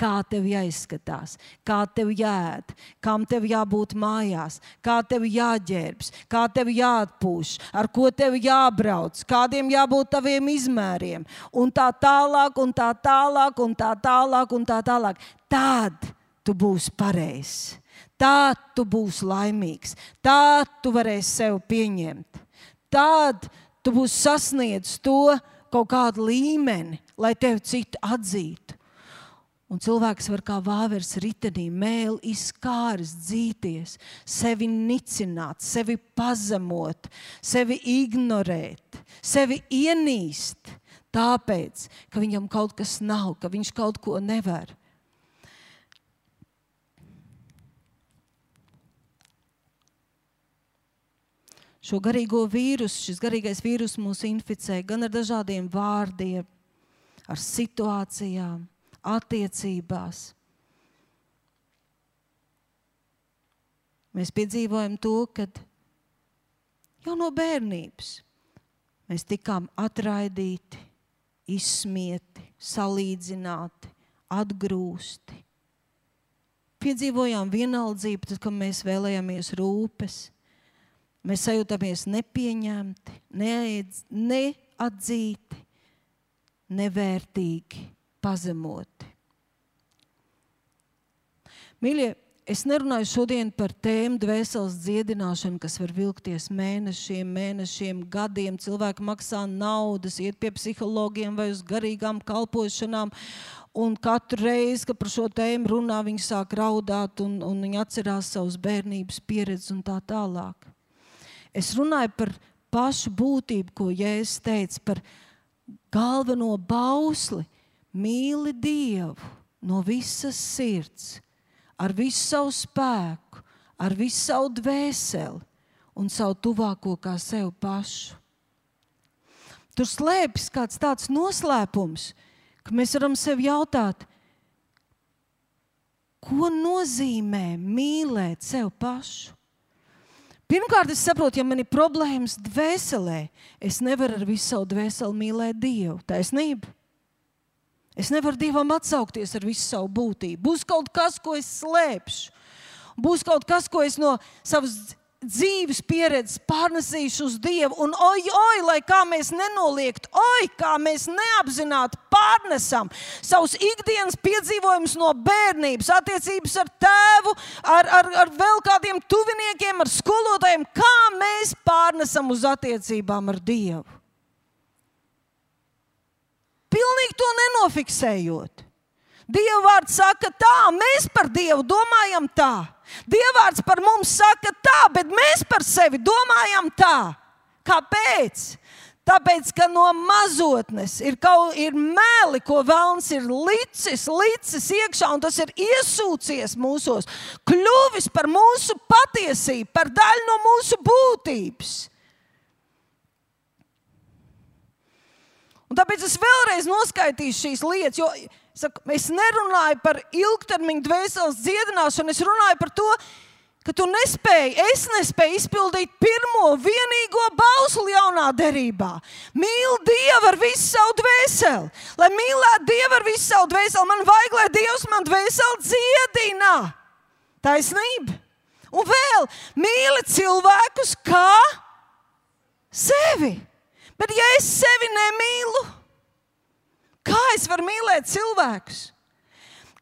kā tev jāizskatās, kā tev jāēd, kam tev jābūt mājās, kā tev jāģērbs, kā tev jāatpūš, ar ko tev jābrauc, kādiem jābūt taviem izmēriem, un tā tālāk, un tā tālāk, un tā tālāk, un tā tālāk. Tad tu būsi pareizs, tad tu būsi laimīgs, tad tu varēsi sev pieņemt, tad tu būsi sasniedzis to kaut kādu līmeni, lai tevi citu atzītu. Un cilvēks var kā vāveres ritenī mēli izkāris, dzīties, sevi nicināt, sevi pazemot, sevi ignorēt, sevi ienīst, tāpēc, ka viņam kaut kas nav, ka viņš kaut ko nevar. Šo garīgo vīrusu, šis garīgais vīrus mūs inficē gan ar dažādiem vārdiem, ar situācijām, attiecībās. Mēs piedzīvojam to, kad jau no bērnības mēs tikām atraidīti, izsmieti, salīdzināti, atgrūsti. Piedzīvojām vienaldzību, tad, kad mēs vēlējāmies rūpes. Mēs sajūtamies nepieņemti, neatzīti, nevērtīgi, pazemoti. Mīļie, es nerunāju šodien par tēmu dvēseles dziedināšanu, kas var vilkties mēnešiem, mēnešiem, gadiem. Cilvēki maksā naudas, iet pie psihologiem vai uz garīgām kalpošanām, un katru reizi, kad par šo tēmu runā, viņi sāk raudāt un, un viņi atcerās savus bērnības pieredzes un tā tālāk. Es runāju par pašu būtību, ko Jēzus teica, par galveno bausli. Mīli Dievu no visas sirds, ar visu savu spēku, ar visu savu dvēseli un savu tuvāko kā sev pašu. Tur slēpjas kāds tāds noslēpums, ka mēs varam sev jautāt, ko nozīmē mīlēt sev pašu? Pirmkārt, es saprotu, ja man ir problēmas dvēselē, es nevaru ar visu savu dvēseli mīlēt Dievu. Taisnība? Es nevaru Dievam atsaukties ar visu savu būtību. Būs kaut kas, ko es slēpšu. Būs kaut kas, ko es no savas dzīves pieredzes pārnesīšu uz Dievu. Un oj, oj, lai kā mēs nenoliektu, oj, kā mēs neapzināti pārnesam savus ikdienas piedzīvojumus no bērnības, attiecības ar tēvu, ar, ar, ar vēl kādiem tuviniekiem, ar skolotājiem, kā mēs pārnesam uz attiecībām ar Dievu. Pilnīgi to nenofiksējot. Dieva vārds saka tā, mēs par Dievu domājam tā. Dieva vārds par mums saka tā, bet mēs par sevi domājam tā. Kāpēc? Tāpēc, ka no mazotnes ir, kaut, ir meli, ko velns ir licis, licis iekšā, un tas ir iesūcies mūsos, kļuvis par mūsu patiesību, par daļu no mūsu būtības. Un tāpēc es vēlreiz noskaitīšu šīs lietas, jo saku, es nerunāju par ilgtermiņu dvēseles dziedināšanu, es runāju par to, ka tu nespēji, es nespēju izpildīt pirmo vienīgo bausli jaunā derībā. Mīl Dievu ar visu savu dvēseli. Lai mīlētu Dievu ar visu savu dvēseli, man vajag, lai Dievs man dvēseli dziedina. Taisnība. Un vēl, mīli cilvēkus kā sevi. Bet ja es sevi nemīlu, kā es varu mīlēt cilvēkus?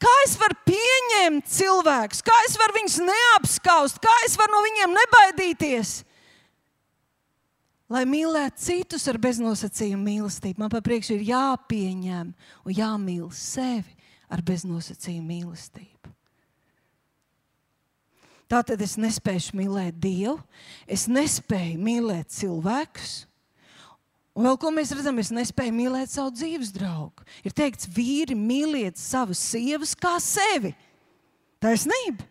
Kā es varu pieņemt cilvēkus? Kā es varu viņus neapskaust? Kā es varu no viņiem nebaidīties? lai mīlētu citus ar beznosacījumu mīlestību, man par priekšu ir jāpieņem un jāmīl sevi ar beznosacījumu mīlestību. Tātad es nespēju mīlēt Dievu, es nespēju mīlēt cilvēkus, un vēl ko mēs redzam, es nespēju mīlēt savu dzīves draugu. Ir teikts, vīri mīliet savas sievas kā sevi. Taisnība.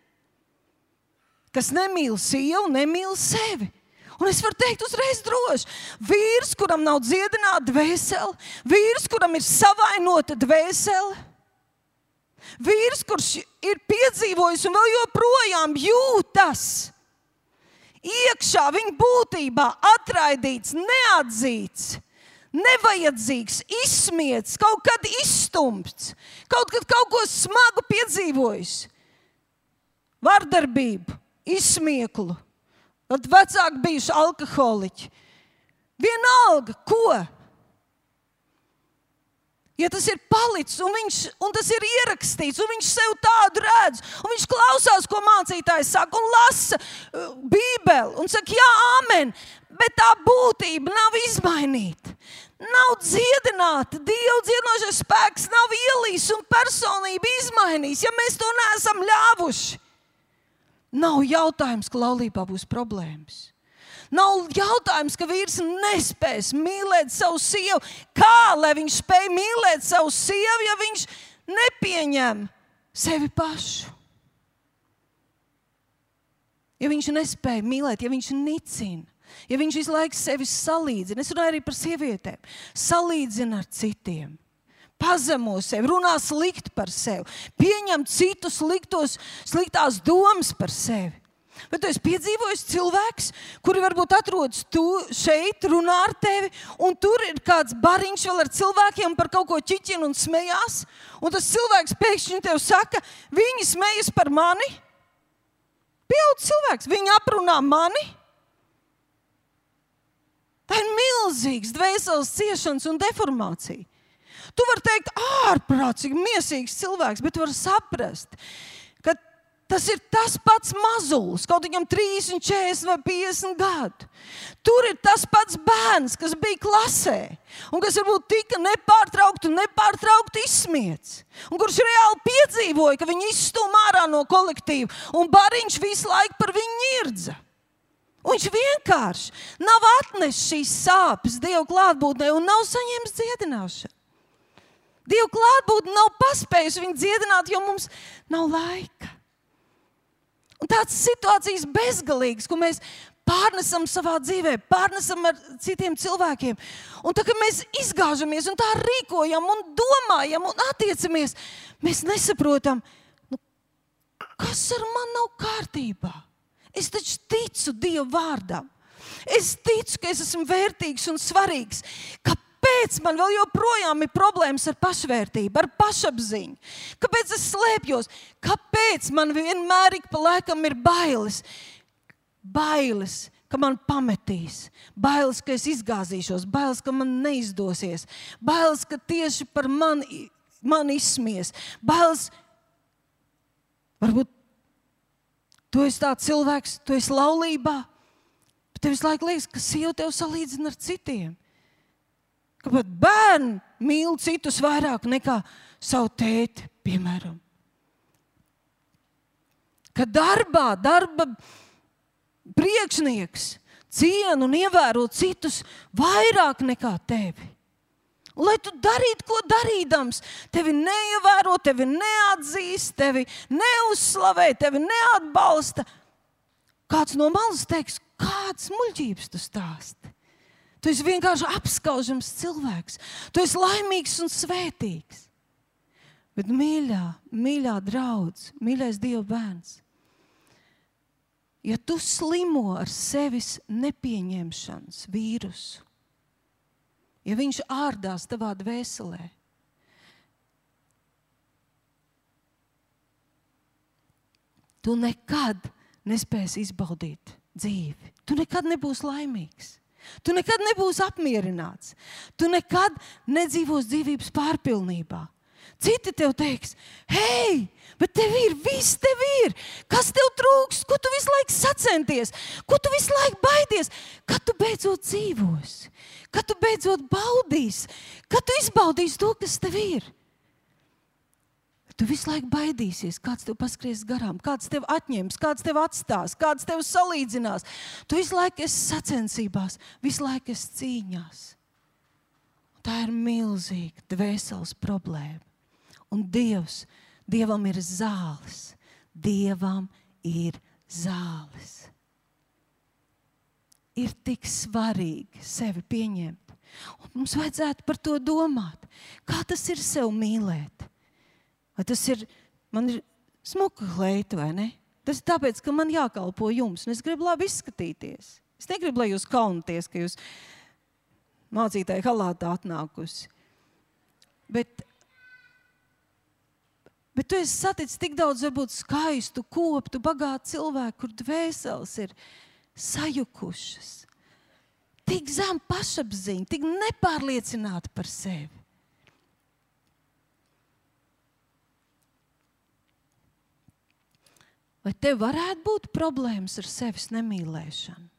Kas nemīl sievu, nemīl sevi. Un es varu teikt uzreiz droši, vīrs, kuram nav dziedināta dvēsele, vīrs, kuram ir savainota dvēsele, vīrs, kurš ir piedzīvojis un vēl joprojām jūtas iekšā viņa būtībā atraidīts, neatzīts, nevajadzīgs, izsmiets, kaut kad izstumts, kaut kad kaut ko smagu piedzīvojis, vardarbību, izsmieklu. Tad vecāki bijuši alkoholiķi. Vienalga, ko? Ja tas ir palicis un, viņš, un tas ir ierakstīts, un viņš sev tādu redz, un viņš klausās, ko mācītājs saka, un lasa uh, Bībeli, un saka, jā, amen, bet tā būtība nav izmainīta. Nav dziedināta, Dieva dziedinošais spēks nav ielīs un personība izmainījis, ja mēs to neesam ļāvuši. Nav jautājums, ka laulībā būs problēmas. Nav jautājums, ka vīrs nespēs mīlēt savu sievu. Kā, lai viņš spēj mīlēt savu sievu, ja viņš nepieņem sevi pašu? Ja viņš nespēja mīlēt, ja viņš nicina, ja viņš visu laiku sevi salīdzina, es runāju arī par sievietēm, salīdzina ar citiem. Pazemo sevi, runā slikti par sevi, pieņem citus sliktos, sliktās domas par sevi. Bet tu esi piedzīvojis cilvēks, kuri varbūt atrodas tu šeit, runā ar tevi, un tur ir kāds bariņš vēl ar cilvēkiem par kaut ko ķiķina un smējās, un tas cilvēks pēkšņi tev saka, viņi smejas par mani. Pieaudz cilvēks, viņi aprunā mani. Tā ir milzīgs dvēseles ciešanas un deformācija. Tu vari teikt, ārprātīgi, miesīgs cilvēks, bet tu vari saprast, ka tas ir tas pats mazulis, kaut viņam trīsdesmit, četrdesmit vai piecdesmit gadu. Tur ir tas pats bērns, kas bija klasē, un kas varbūt tika nepārtraukti un nepārtraukti izsmiets, un kurš reāli piedzīvoja, ka viņu izstūm ārā no kolektīva, un bariņš visu laiku par viņu ņirdza. Un viņš vienkārši nav atnesis šīs sāpes Dieva klātbūtnē un nav saņēmis dziedināšanu. Dieva klātbūtne nav paspējusi viņu dziedināt, jo mums nav laika. Un tādas situācijas bezgalīgas, ko mēs pārnesam savā dzīvē, pārnesam ar citiem cilvēkiem. Un tā, ka mēs izgāžamies un tā rīkojam un domājam un attiecamies, mēs nesaprotam, nu, kas ar mani nav kārtībā. Es taču ticu Dieva vārdam. Es ticu, ka es esmu vērtīgs un svarīgs. Kāpēc man vēl joprojām ir problēmas ar pašvērtību, ar pašapziņu? Kāpēc es slēpjos? Kāpēc man vienmēr ik pa laikam ir bailes? Bailes, ka man pametīs. Bailes, ka es izgāzīšos. Bailes, ka man neizdosies. Bailes, ka tieši par mani, mani izsmies. Bailes, varbūt tu esi tāds cilvēks, tu esi laulībā, bet tev visu laiku liekas, ka sieva tev salīdzina ar citiem. Ka pat bērni mīl citus vairāk nekā savu tēti, piemēram. Ka darbā, darba priekšnieks ciena un ievēro citus vairāk nekā tevi. Un, lai tu darītu, ko darīdams, tevi neievēro, tevi neatzīst, tevi neuzslavē, tevi neatbalsta. Kāds no malas teiks, kādas muļķības tu stāsti? Tu esi vienkārši apskaužams cilvēks. Tu esi laimīgs un svētīgs. Bet mīļā, mīļā draudz, mīļais Dieva bērns, ja tu slimo ar sevis nepieņemšanas vīrusu, ja viņš ārdās tavā dvēselē, tu nekad nespēsi izbaudīt dzīvi. Tu nekad nebūsi laimīgs. Tu nekad nebūsi apmierināts. Tu nekad nedzīvos dzīvības pārpilnībā. Citi tev teiks, hei, bet tev ir, viss tev ir. Kas tev trūkst? Ko tu visu laiku sacenties? Ko tu visu laiku baidies? Kad tu beidzot dzīvosi? Kad tu beidzot baudīsi? Kad tu izbaudīsi to, kas tev ir? Tu visu laiku baidīsies, kāds tev paskries garām, kāds tev atņems, kāds tev atstās, kāds tev salīdzinās. Tu visu laiku esi sacensībās, visu laiku esi cīņās. Tā ir milzīga dvēseles problēma. Un Dievs, Dievam ir zāles. Dievam ir zāles. Ir tik svarīgi sevi pieņemt. Un mums vajadzētu par to domāt. Kā tas ir sev mīlēt? Vai tas ir, man ir smuka kleita, vai ne? Tas ir tāpēc, ka man jākalpo jums, un es gribu labi izskatīties. Es negribu, lai jūs kaunaties, ka jūs mācītāji halātā atnākusi. Bet Bet tu esi saticis tik daudz, varbūt skaistu, koptu, bagātu cilvēku, kur dvēseles ir sajukušas. Tik zem pašapziņa, tik nepārliecināti par sevi. Vai tev varētu būt problēmas ar sevis nemīlēšanu?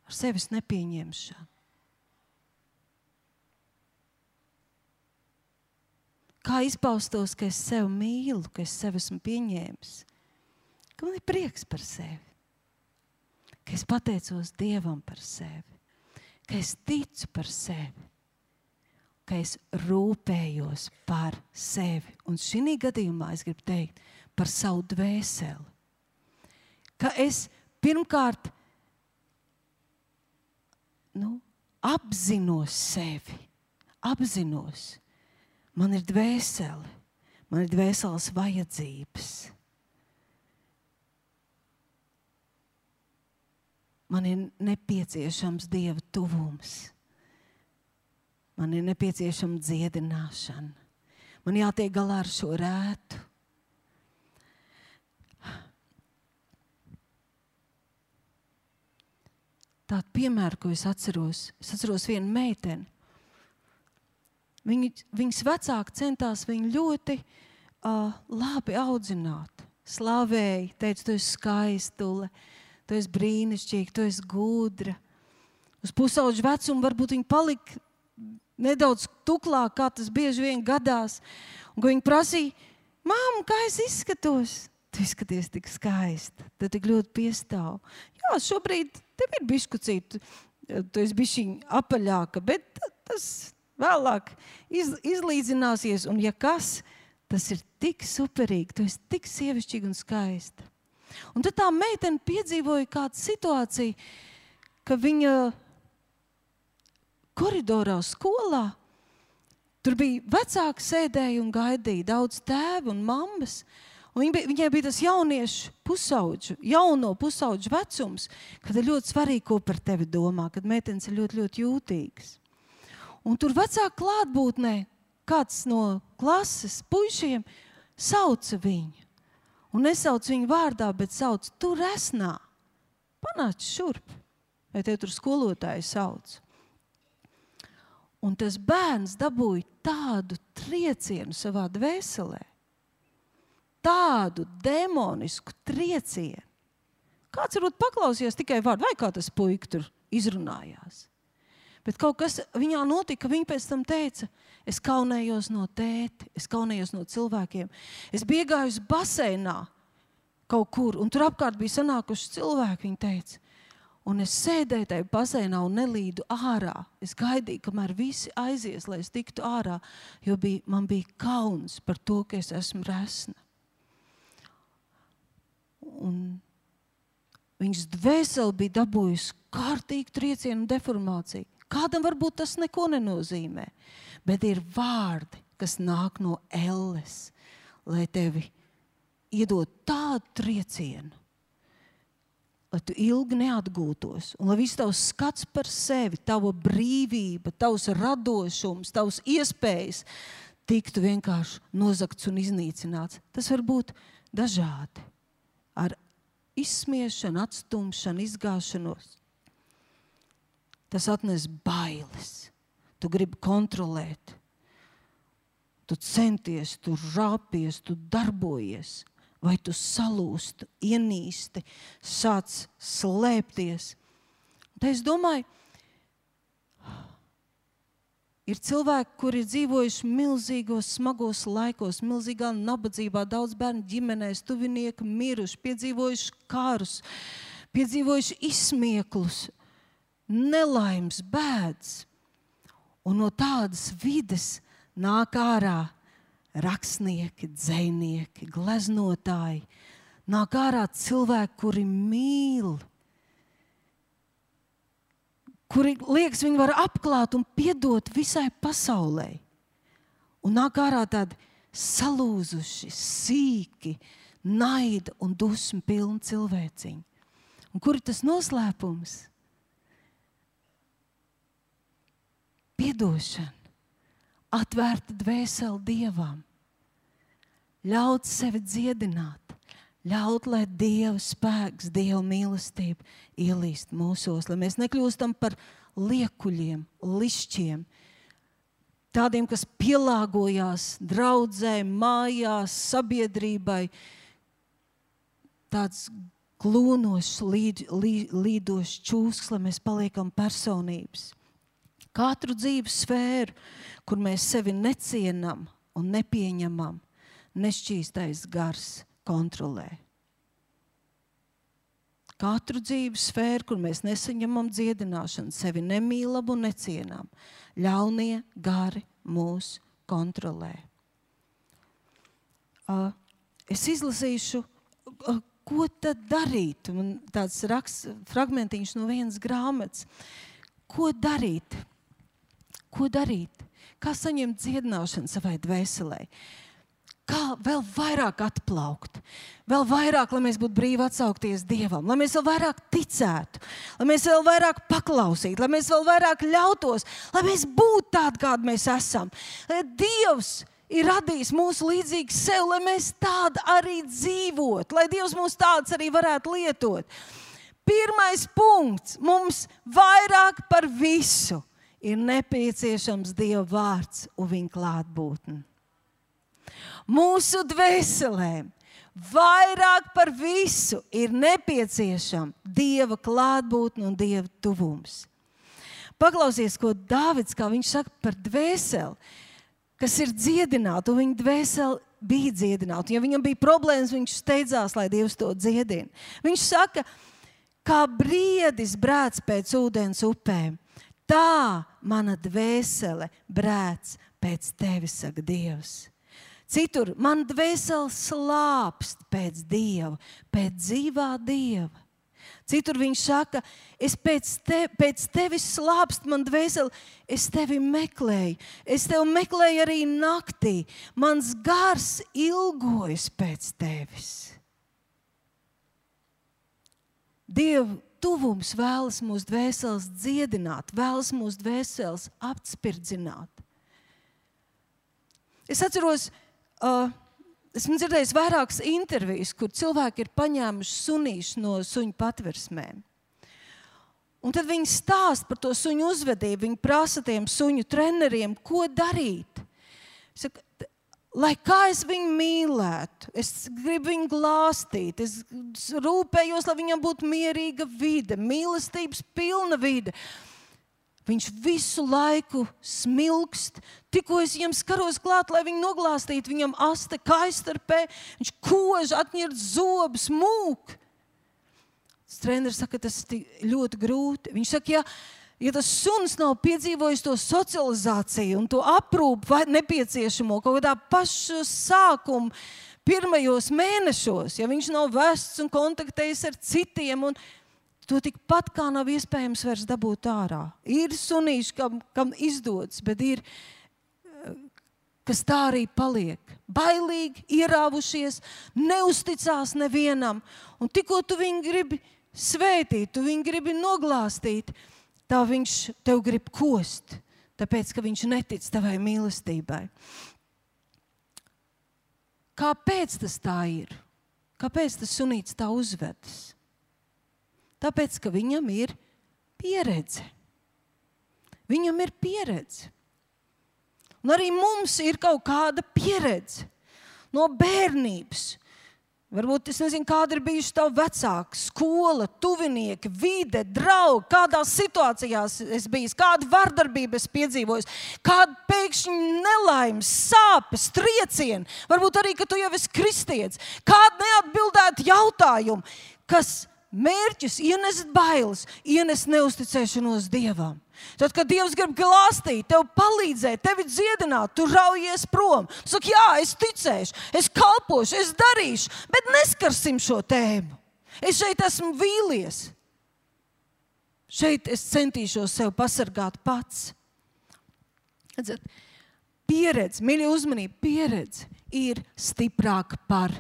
Ar sevis nepieņemšanu? Kā izpaustos, ka es sevi mīlu, ka es sevi esmu pieņēmis, ka man ir prieks par sevi, ka es pateicos Dievam par sevi, ka es ticu par sevi, ka es rūpējos par sevi. Un šī gadījumā es gribu teikt par savu dvēseli, ka es pirmkārt nu, apzinos sevi, apzinos. Man ir dvēsele, man ir dvēseles vajadzības. Man ir nepieciešams Dieva tuvums. Man ir nepieciešama dziedināšana. Man jātiek galā ar šo rētu. Tādu piemēru, ko es atceros, es atceros vienu meiteni. Viņi, viņas vecāki centās viņu ļoti uh, labi audzināt. Slavēja, teica, tu esi skaistule, tu esi brīnišķīga, tu esi gudra. Uz pusauģu vecumu varbūt viņi palika nedaudz tuklāk, kā tas bieži vien gadās. Un viņi prasīja, māmu, kā es izskatos? Tu izskaties tik skaista, tu tik ļoti piestāv. Jā, šobrīd tev ir biškucīt, tu esi bišķiņ apaļāka, bet tas vēlāk iz, izlīdzināsies, un ja kas, tas ir tik superīgi, tu esi tik sievišķīga un skaista. Un tad tā meitene piedzīvoja kādu situāciju, ka viņa koridorā skolā, tur bija vecāki sēdēja un gaidīja, daudz tēvi un mammas, un viņa, viņai bija tas jauniešu pusauģu, jauno pusauģu vecums, kad ir ļoti svarīgi, ko par tevi domā, kad meitenes ir ļoti, ļoti jūtīgas. Un tur vecāku klātbūtnē kāds no klases puišiem sauca viņu. Un nesauc viņu vārdā, bet sauc, tu resnā, panāc šurp. Vai tev tur skolotāji sauc? Un tas bērns dabūja tādu triecienu savā dvēselē. Tādu demonisku triecienu. Kāds varbūt paklausījās tikai vārdu, vai kā tas puika tur izrunājās. Bet kaut kas viņā notika, viņa pēc tam teica, es kaunējos no tēti, es kaunējos no cilvēkiem. Es biju iegājusi baseinā kaut kur, un tur apkārt bija sanākuši cilvēki, viņa teica. Un es sēdēju tajā baseinā un nelīdu ārā. Es gaidīju, kamēr visi aizies, lai es tiktu ārā, jo bija, man bija kauns par to, ka es esmu resna. Un viņas dvēseli bija dabūjusi kārtīgi triecienu un deformāciju. Kādam varbūt tas neko nenozīmē, bet ir vārdi, kas nāk no elles, lai tevi iedod tādu triecienu, lai tu ilgi neatgūtos, un lai viss tavs skats par sevi, tava brīvība, tavs radošums, tavs iespējas tiktu vienkārši nozagts un iznīcināts. Tas var būt dažādi, ar izsmiešanu, atstumšanu, izgāšanos. Tas atnes bailes. Tu gribi kontrolēt. tu centies, tu rāpies, tu darbojies, vai tu salūsti, ienīsti, sāc slēpties. Un es domāju, ir cilvēki, kuri ir dzīvojuši milzīgos, smagos laikos, milzīgā nabadzībā, daudz bērnu ģimenēs, tuvinieki miruši, piedzīvojuši karus, piedzīvojuši izsmieklus, nelaimes, bēdas. Un no tādas vides nāk ārā rakstnieki, dzejnieki, gleznotāji, nāk ārā cilvēki, kuri mīl, kuri, liekas, viņi var apklāt un piedot visai pasaulē. Un nāk ārā tādi salūzuši, sīki, naida un dusmu pilni cilvēciņi. Un kur ir tas noslēpums? Piedošana, atvērta dvēseli Dievam, ļaut sevi dziedināt, ļaut, lai Dieva spēks, Dieva mīlestība ielīst mūsos, lai mēs nekļūstam par liekuļiem, lišķiem, tādiem, kas pielāgojās draudzē, mājās, sabiedrībai, tāds glūnošs, līd, līd, līdošs čūsks, lai mēs paliekam personības. Katru dzīves sfēru, kur mēs sevi necienam un nepieņemam, nešķīstais gars kontrolē. Katru dzīves sfēru, kur mēs nesaņemam dziedināšanu, sevi nemīlam un necienam, ļaunie gari mūs kontrolē. Uh, es izlasīšu, uh, ko tad darīt? Man tāds raksts, fragmentiņš no vienas grāmatas. Ko darīt? Ko darīt? Kā saņemt dziedināšanu savai dvēselē? Kā vēl vairāk atplaukt? Vēl vairāk, lai mēs būtu brīvi atsaukties Dievam, lai mēs vēl vairāk ticētu, lai mēs vēl vairāk paklausītu, lai mēs vēl vairāk ļautos, lai mēs būtu tādi, kādi mēs esam. Lai Dievs ir radījis mūsu līdzīgi sev, lai mēs tādi arī dzīvot, lai Dievs mūs tāds arī varētu lietot. Pirmais punkts mums vairāk par visu ir nepieciešams Dieva vārds un viņa klātbūtne. Mūsu dvēselēm vairāk par visu ir nepieciešama Dieva klātbūtne un Dieva tuvums. Paklausies, ko Dāvids, kā viņš saka par dvēseli, kas ir dziedināta, un viņa dvēseli bija dziedināta. Ja viņam bija problēmas, viņš steidzās, lai Dievs to dziedina. Viņš saka, kā briedis brēc pēc ūdens upēm, tā mana dvēsele brēc pēc tevis, saka Dievs. Citur, man dvēsele slāpst pēc Dieva, pēc dzīvā Dieva. Citur viņš saka, es pēc, te, pēc tevis slāpst man dvēseli, es tevi meklēju, es tevi meklēju arī naktī, mans gars ilgojas pēc tevis. Dieva tuvums vēlas mūsu dvēseles dziedināt, vēlas mūsu dvēseles apspirdzināt. Es atceros, uh, esmu dzirdējis vairākas intervijas, kur cilvēki ir paņēmuši sunīšus no suņu patversmēm. Un tad viņi stāst par to suņu uzvedību, viņi prasa tiem suņu treneriem, ko darīt. Saka, lai kā es viņu mīlētu, es gribu viņu glāstīt, es rūpējos, lai viņam būtu mierīga vide, mīlestības pilna vide. Viņš visu laiku smilkst, tikko es viņam skaros klāt, lai viņu noglāstītu, viņam aste kaistarpē, viņš kož, atņirt zobus, mūk. Treneris saka, tas ir ļoti grūti. Viņš saka, ja Ja tas suns nav piedzīvojis to socializāciju un to aprūpu nepieciešamo kaut kādā pašu sākumu pirmajos mēnešos, ja viņš nav vests un kontaktējis ar citiem, un to tikpat kā nav iespējams vairs dabūt ārā. Ir sunīši, kam, kam izdodas, bet ir, kas tā arī paliek. Bailīgi, ierāvušies, neusticās nevienam, un tikko tu viņu gribi svētīt, tu viņu gribi noglāstīt, tā viņš tev grib kost, tāpēc, ka viņš netic tavai mīlestībai. Kāpēc tas tā ir? Kāpēc tas sunīts tā uzvedas? Tāpēc, ka viņam ir pieredze. Viņam ir pieredze. Un arī mums ir kaut kāda pieredze no bērnības. Varbūt es nezinu, kāda ir bijuši tavu vecāki, skola, tuvinieki, vide, draugi, kādās situācijās es biju, kādu vardarbību es piedzīvoju, kādu pēkšņi nelaimes, sāpes, triecieni, varbūt arī, ka tu jau esi kristietis, kādu neatbildētu jautājumu, kas mērķis ienes bailes, ienes neusticēšanos Dievam. Tad, kad Dievs grib glāstīt, tev palīdzēt, tevi dziedināt, tu raujies prom. Tu saki, jā, es ticēšu, es kalpošu, es darīšu, bet neskarsim šo tēmu. Es šeit esmu vīlies. Šeit es centīšos sev pasargāt pats. Redzat, pieredze, mīļie uzmanība, pieredze ir stiprāka par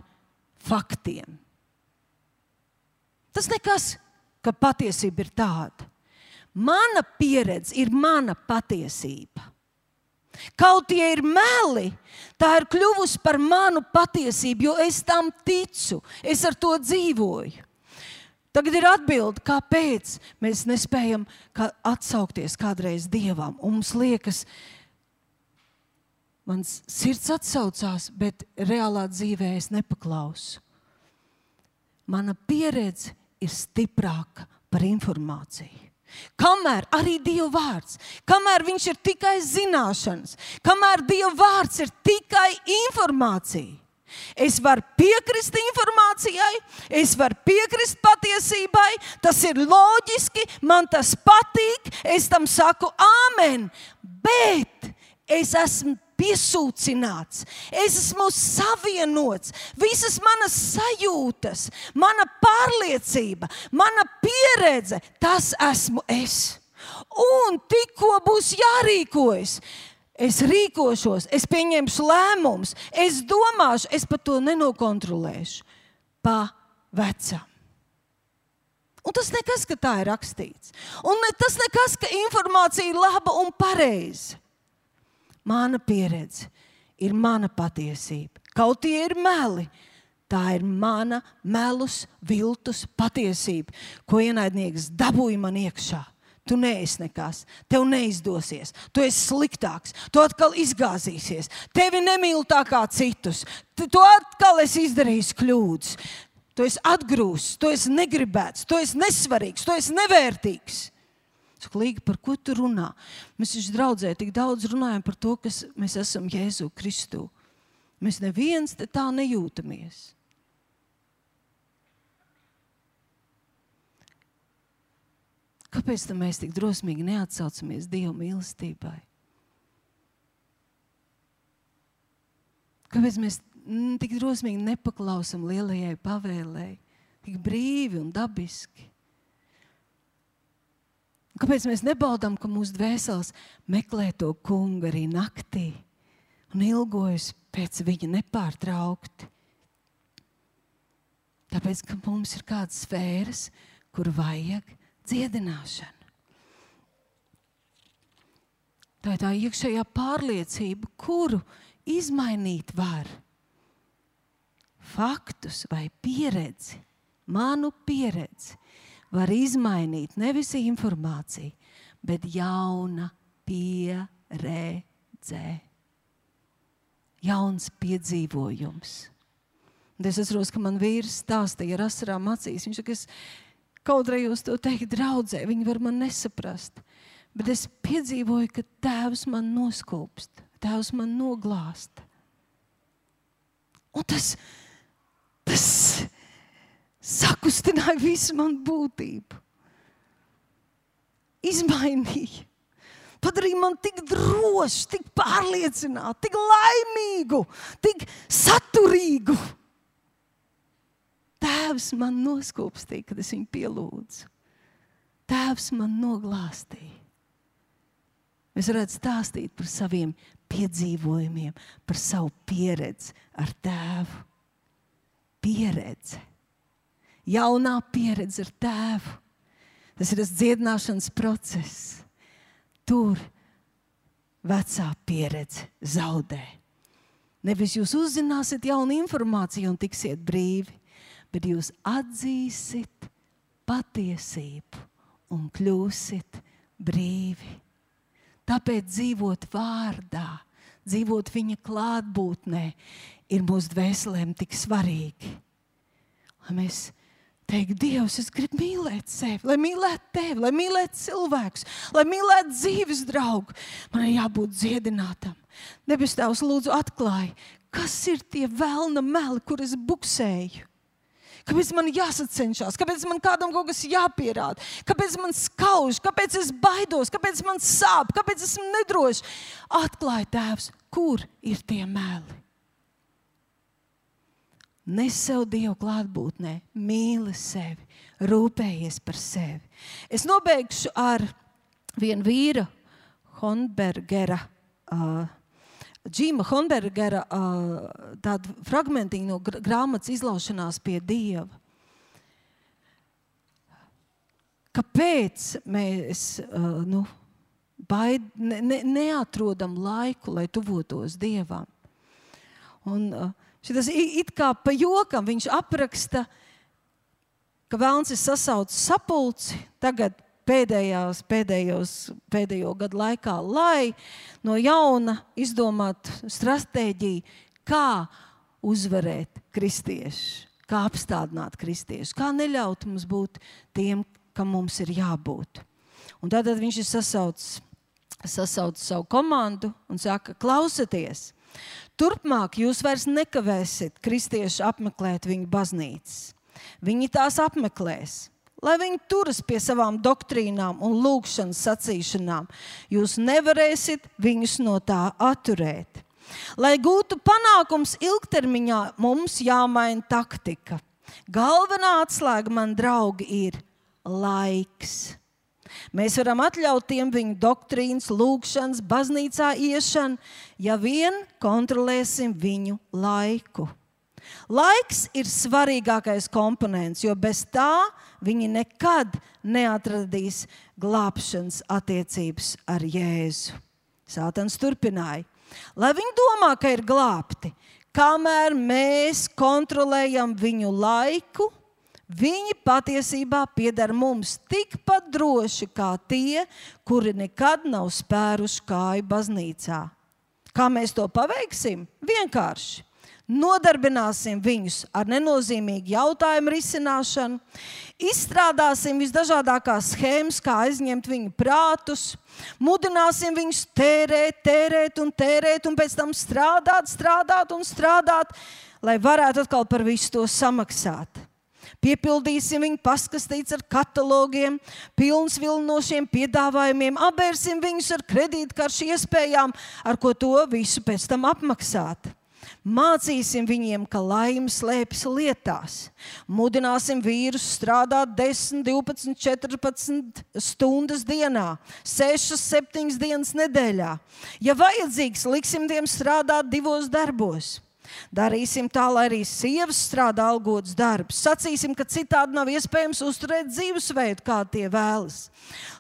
faktiem. Tas nekas, ka patiesība ir tāda. Mana pieredze ir mana patiesība. Kaut tie ir meli, tā ir kļuvusi par manu patiesību, jo es tam ticu, es ar to dzīvoju. Tagad ir atbilde, kāpēc mēs nespējam kā atsaukties kādreiz Dievam. Un mums liekas, mans sirds atsaucās, bet reālā dzīvē es nepaklausu. Mana pieredze ir stiprāka par informāciju. Kamēr arī Dieva vārds, kamēr viņš ir tikai zināšanas, kamēr Dieva vārds ir tikai informācija. Es varu piekrist informācijai, es varu piekrist patiesībai, tas ir loģiski, man tas patīk, es tam saku āmen, bet es esmu piesūcināts, es esmu savienots, visas manas sajūtas, mana pārliecība, mana pieredze, tas esmu es. Un tikko būs jārīkojas, es rīkošos, es pieņemšu lēmumus, es domāšu, es pat to nenokontrolēšu pa vecam. Un tas nekas, ka tā ir rakstīts. Un ne, tas nekas, ka informācija ir laba un pareiza. Mana pieredze ir mana patiesība. Kaut tie ir meli, tā ir mana melus, viltus patiesība, ko ienaidnieks dabūja man iekšā. Tu neesi nekas, tev neizdosies, tu esi sliktāks, tu atkal izgāzīsies, tevi nemīl tā kā citus, tu atkal esi izdarījis kļūdas, tu esi atgrūsts, tu esi negribēts, tu esi nesvarīgs, tu esi nevērtīgs. Saka, Līga, par ko tu runā? Mēs taču draudzē tik daudz runājam par to, kas mēs esam Jēzu Kristu. Mēs neviens te tā nejūtamies. Kāpēc tam mēs tik drosmīgi neatsaucamies Dieva mīlestībai? Kāpēc mēs tik drosmīgi nepaklausam lielajai pavēlei, tik brīvi un dabiski? Kāpēc mēs nebaudām, ka mūsu dvēseles meklē to kungu arī naktī un ilgojas pēc viņa nepārtraukti? Tāpēc, ka mums ir kādas sfēras, kur vajag dziedināšanu. Tā ir tā iekšējā pārliecība, kuru izmainīt var. Faktus vai pieredzi, manu pieredzi, var izmainīt nevis informāciju, bet jauna pieredze. Jauns piedzīvojums. Un es atceros, ka man vīrs stāstīja ar asarām acīs. Viņš saka, es kautrējos to teikt draudzē, viņi var man nesaprast. Bet es piedzīvoju, ka Tēvs man noskūpst, Tēvs man noglāsta. Un tas, tas sakustināja visu manu būtību. Izmainīja. Padarīja man tik drošu, tik pārliecinātu, tik laimīgu, tik saturīgu. Tēvs man noskūpstīja, kad es viņu pielūdzu. Tēvs man noglāstīja. Mēs varētu stāstīt par saviem piedzīvojumiem, par savu pieredzi ar Tēvu. Pieredze. Jaunā pieredze ar Tēvu. Tas ir tas dziedināšanas process. Tur vecā pieredze zaudē. Nevis jūs uzzināsiet jaunu informāciju un tiksiet brīvi, bet jūs atzīsiet patiesību un kļūsiet brīvi. Tāpēc dzīvot vārdā, dzīvot viņa klātbūtnē, ir mūsu dvēselēm tik svarīgi. Lai mēs teiktu, Dievs, es gribu mīlēt sevi, lai mīlētu tevi, lai mīlētu cilvēkus, lai mīlētu dzīves draugu. Man ir jābūt dziedinātam. Debes Tēvs, lūdzu atklāj, kas ir tie velna meli, kur es buksēju. Kāpēc man jāsacenšās? Kāpēc man kādam kaut kas jāpierāda? Kāpēc man skauž? Kāpēc es baidos? Kāpēc man sāp? Kāpēc esmu nedrošs? Atklāj, Tēvs, kur ir tie meli? Nes sev Dievu klātbūtnē, mīli sevi, rūpējies par sevi. Es nobeigšu ar vienu vīra Honbergera, uh, Džima Honbergera uh, tādu fragmentiņu no gr- grāmatas Izlaušanās pie Dieva. Kāpēc mēs uh, nu, baid, ne, ne, neatrodam laiku, lai tuvotos Dievam? Un uh, šitas it kā pa jokam viņš apraksta, ka velns ir sasaucis sapulci tagad pēdējās, pēdējos, pēdējo gadu laikā, lai no jauna izdomātu stratēģiju, kā uzvarēt kristiešus, kā apstādināt kristiešus, kā neļaut mums būt tiem, kam mums ir jābūt. Un tātad viņš ir sasaucis, sasaucis savu komandu un saka, klausieties, turpmāk jūs vairs nekavēsiet kristiešu apmeklēt viņu baznīcas. Viņi tās apmeklēs. Lai viņi turas pie savām doktrīnām un lūgšanas sacīšanām, jūs nevarēsiet viņus no tā atturēt. Lai gūtu panākums ilgtermiņā, mums jāmaina taktika. Galvenā atslēga, man draugi, ir laiks. Mēs varam atļaut tiem viņu doktrīnas, lūgšanas, baznīcā iešanu, ja vien kontrolēsim viņu laiku. Laiks ir svarīgākais komponents, jo bez tā viņi nekad neatradīs glābšanas attiecības ar Jēzu. Sātans turpināja. Lai viņi domā, ka ir glābti, kamēr mēs kontrolējam viņu laiku, viņi patiesībā pieder mums tikpat droši kā tie, kuri nekad nav spēruši kāju baznīcā. Kā mēs to paveiksim? Vienkārši. Nodarbināsim viņus ar nenozīmīgu jautājumu risināšanu, izstrādāsim visdažādākās schēmas, kā aizņemt viņu prātus, mudināsim viņus tērēt, tērēt un tērēt, un pēc tam strādāt, strādāt un strādāt, lai varētu atkal par visu to samaksāt. Piepildīsim viņu paskastīts ar katalogiem, pilns vilinošiem piedāvājumiem, apbērsim viņus ar kredītkaršu iespējām, ar ko to visu pēc tam apmaksāt. Mācīsim viņiem, ka laime slēpjas lietās. Mudināsim vīrus strādāt desmit, divpadsmit, četrpadsmit stundas dienā, sešas, septiņas dienas nedēļā. Ja vajadzīgs, liksim tiem strādāt divos darbos. Darīsim tā, lai arī sievas strādā algots darbs. Sacīsim, ka citādi nav iespējams uzturēt dzīvesveidu, kā tie vēlas.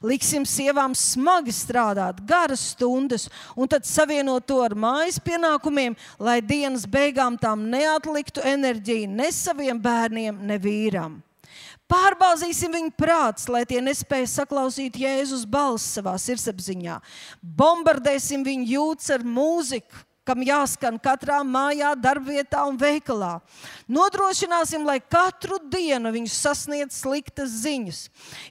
Liksim sievām smagi strādāt, garas stundas, un tad savienot to ar mājas pienākumiem, lai dienas beigām tām neatliktu enerģiju ne saviem bērniem, ne vīram. Pārbāzīsim viņu prāts, lai tie nespēja saklausīt Jēzus balsi savā sirdsapziņā. Bombardēsim viņu jūtas ar mūziku, kam jāskan katrā mājā, darbvietā un veikalā. Nodrošināsim, lai katru dienu viņus sasniedz sliktas ziņas.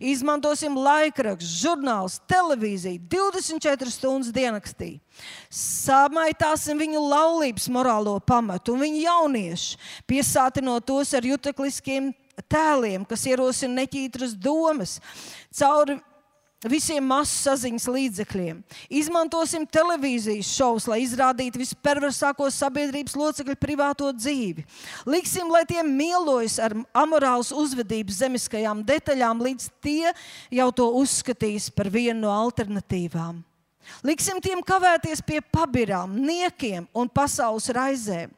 Izmantosim laikrakstus, žurnālus, televīziju, divdesmit četras stundas diennaktī. Samaitāsim viņu laulības morālo pamatu un viņu jauniešu, piesātinot tos ar jutekliskiem tēliem, kas ierosina neķītras domas, cauri visiem masu saziņas līdzekļiem. Izmantosim televīzijas šovus, lai izrādītu visperversāko sabiedrības locekļu privāto dzīvi. Liksim, lai tie mielojas ar amorālas uzvedības zemiskajām detaļām, līdz tie jau to uzskatīs par vienu no alternatīvām. Liksim tiem kavēties pie pabirām, niekiem un pasaules raizēm.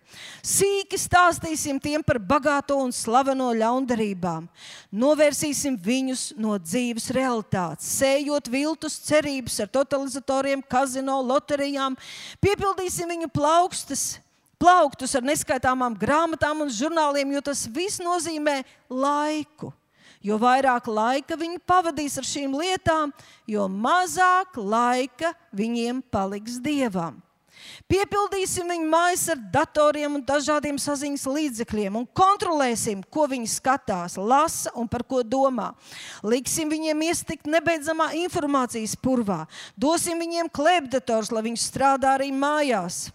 Sīki stāstīsim tiem par bagāto un slaveno ļaundarībām. Novērsīsim viņus no dzīves realitātes, sējot viltus cerības ar totalizatoriem, kazino, loterijām. Piepildīsim viņu plaukstas, plauktus ar neskaitāmām grāmatām un žurnāliem, jo tas viss nozīmē laiku. Jo vairāk laika viņi pavadīs ar šīm lietām, jo mazāk laika viņiem paliks Dievam. Piepildīsim viņu mājas ar datoriem un dažādiem saziņas līdzekļiem un kontrolēsim, ko viņi skatās, lasa un par ko domā. Liksim viņiem iestikt nebeidzamā informācijas purvā. Dosim viņiem klēpdators, lai viņi strādā arī mājās.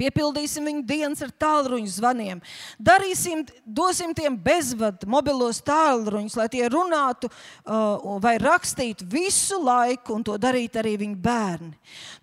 Piepildīsim viņu dienas ar tālruņu zvaniem. Darīsim, dosim tiem bezvadu mobilos tālruņus, lai tie runātu uh, vai rakstītu visu laiku, un to darītu arī viņu bērni.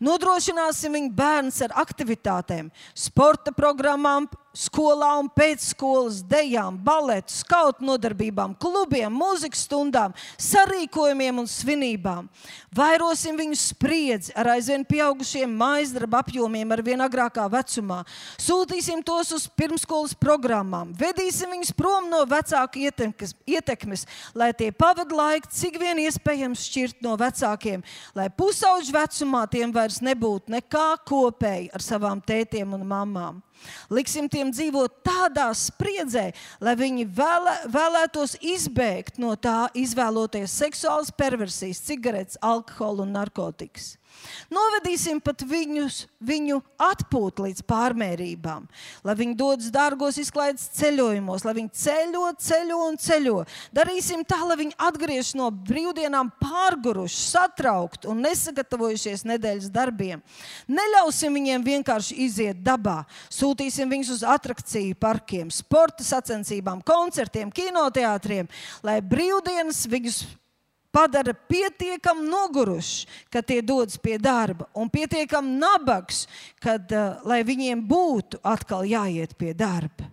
Nodrošināsim viņu bērnus ar aktivitātēm, sporta programmām, skolā un pēcskolas dejām, baletu, skautu nodarbībām, klubiem, mūzikas stundām, sarīkojumiem un svinībām. Vairosim viņu spriedzi ar aizvien pieaugušiem mājasdarba apjomiem ar vien agrākā vecumā. Sūtīsim tos uz pirmskolas programmām. Vedīsim viņus prom no vecāku ietekmes, ietekmes lai tie pavada laiku, cik vien iespējams šķirt no vecākiem, lai pusauģu vecumā tiem vairs nebūtu nekā kopēji ar savām tētiem un mamām. Liksim tiem dzīvot tādā spriedzē, lai viņi vēlē, vēlētos izbēgt no tā, izvēloties seksuālas perversijas, cigaretes, alkoholu un narkotikas. Novedīsim pat viņus, viņu atpūt līdz pārmērībām, lai viņi dodas dārgos izklaides ceļojumos, lai viņi ceļo, ceļo un ceļo. Darīsim tā, lai viņi atgriežas no brīvdienām pārguruši, satraukti un nesagatavojušies nedēļas darbiem. Neļausim viņiem vienkārši iziet dabā. Sūtīsim viņus uz atrakciju parkiem, sporta sacensībām, koncertiem, kinoteātriem, lai brīvdienas viņus padara pietiekam noguruši, kad tie dodas pie darba, un pietiekam nabags, kad, uh, lai viņiem būtu atkal jāiet pie darba.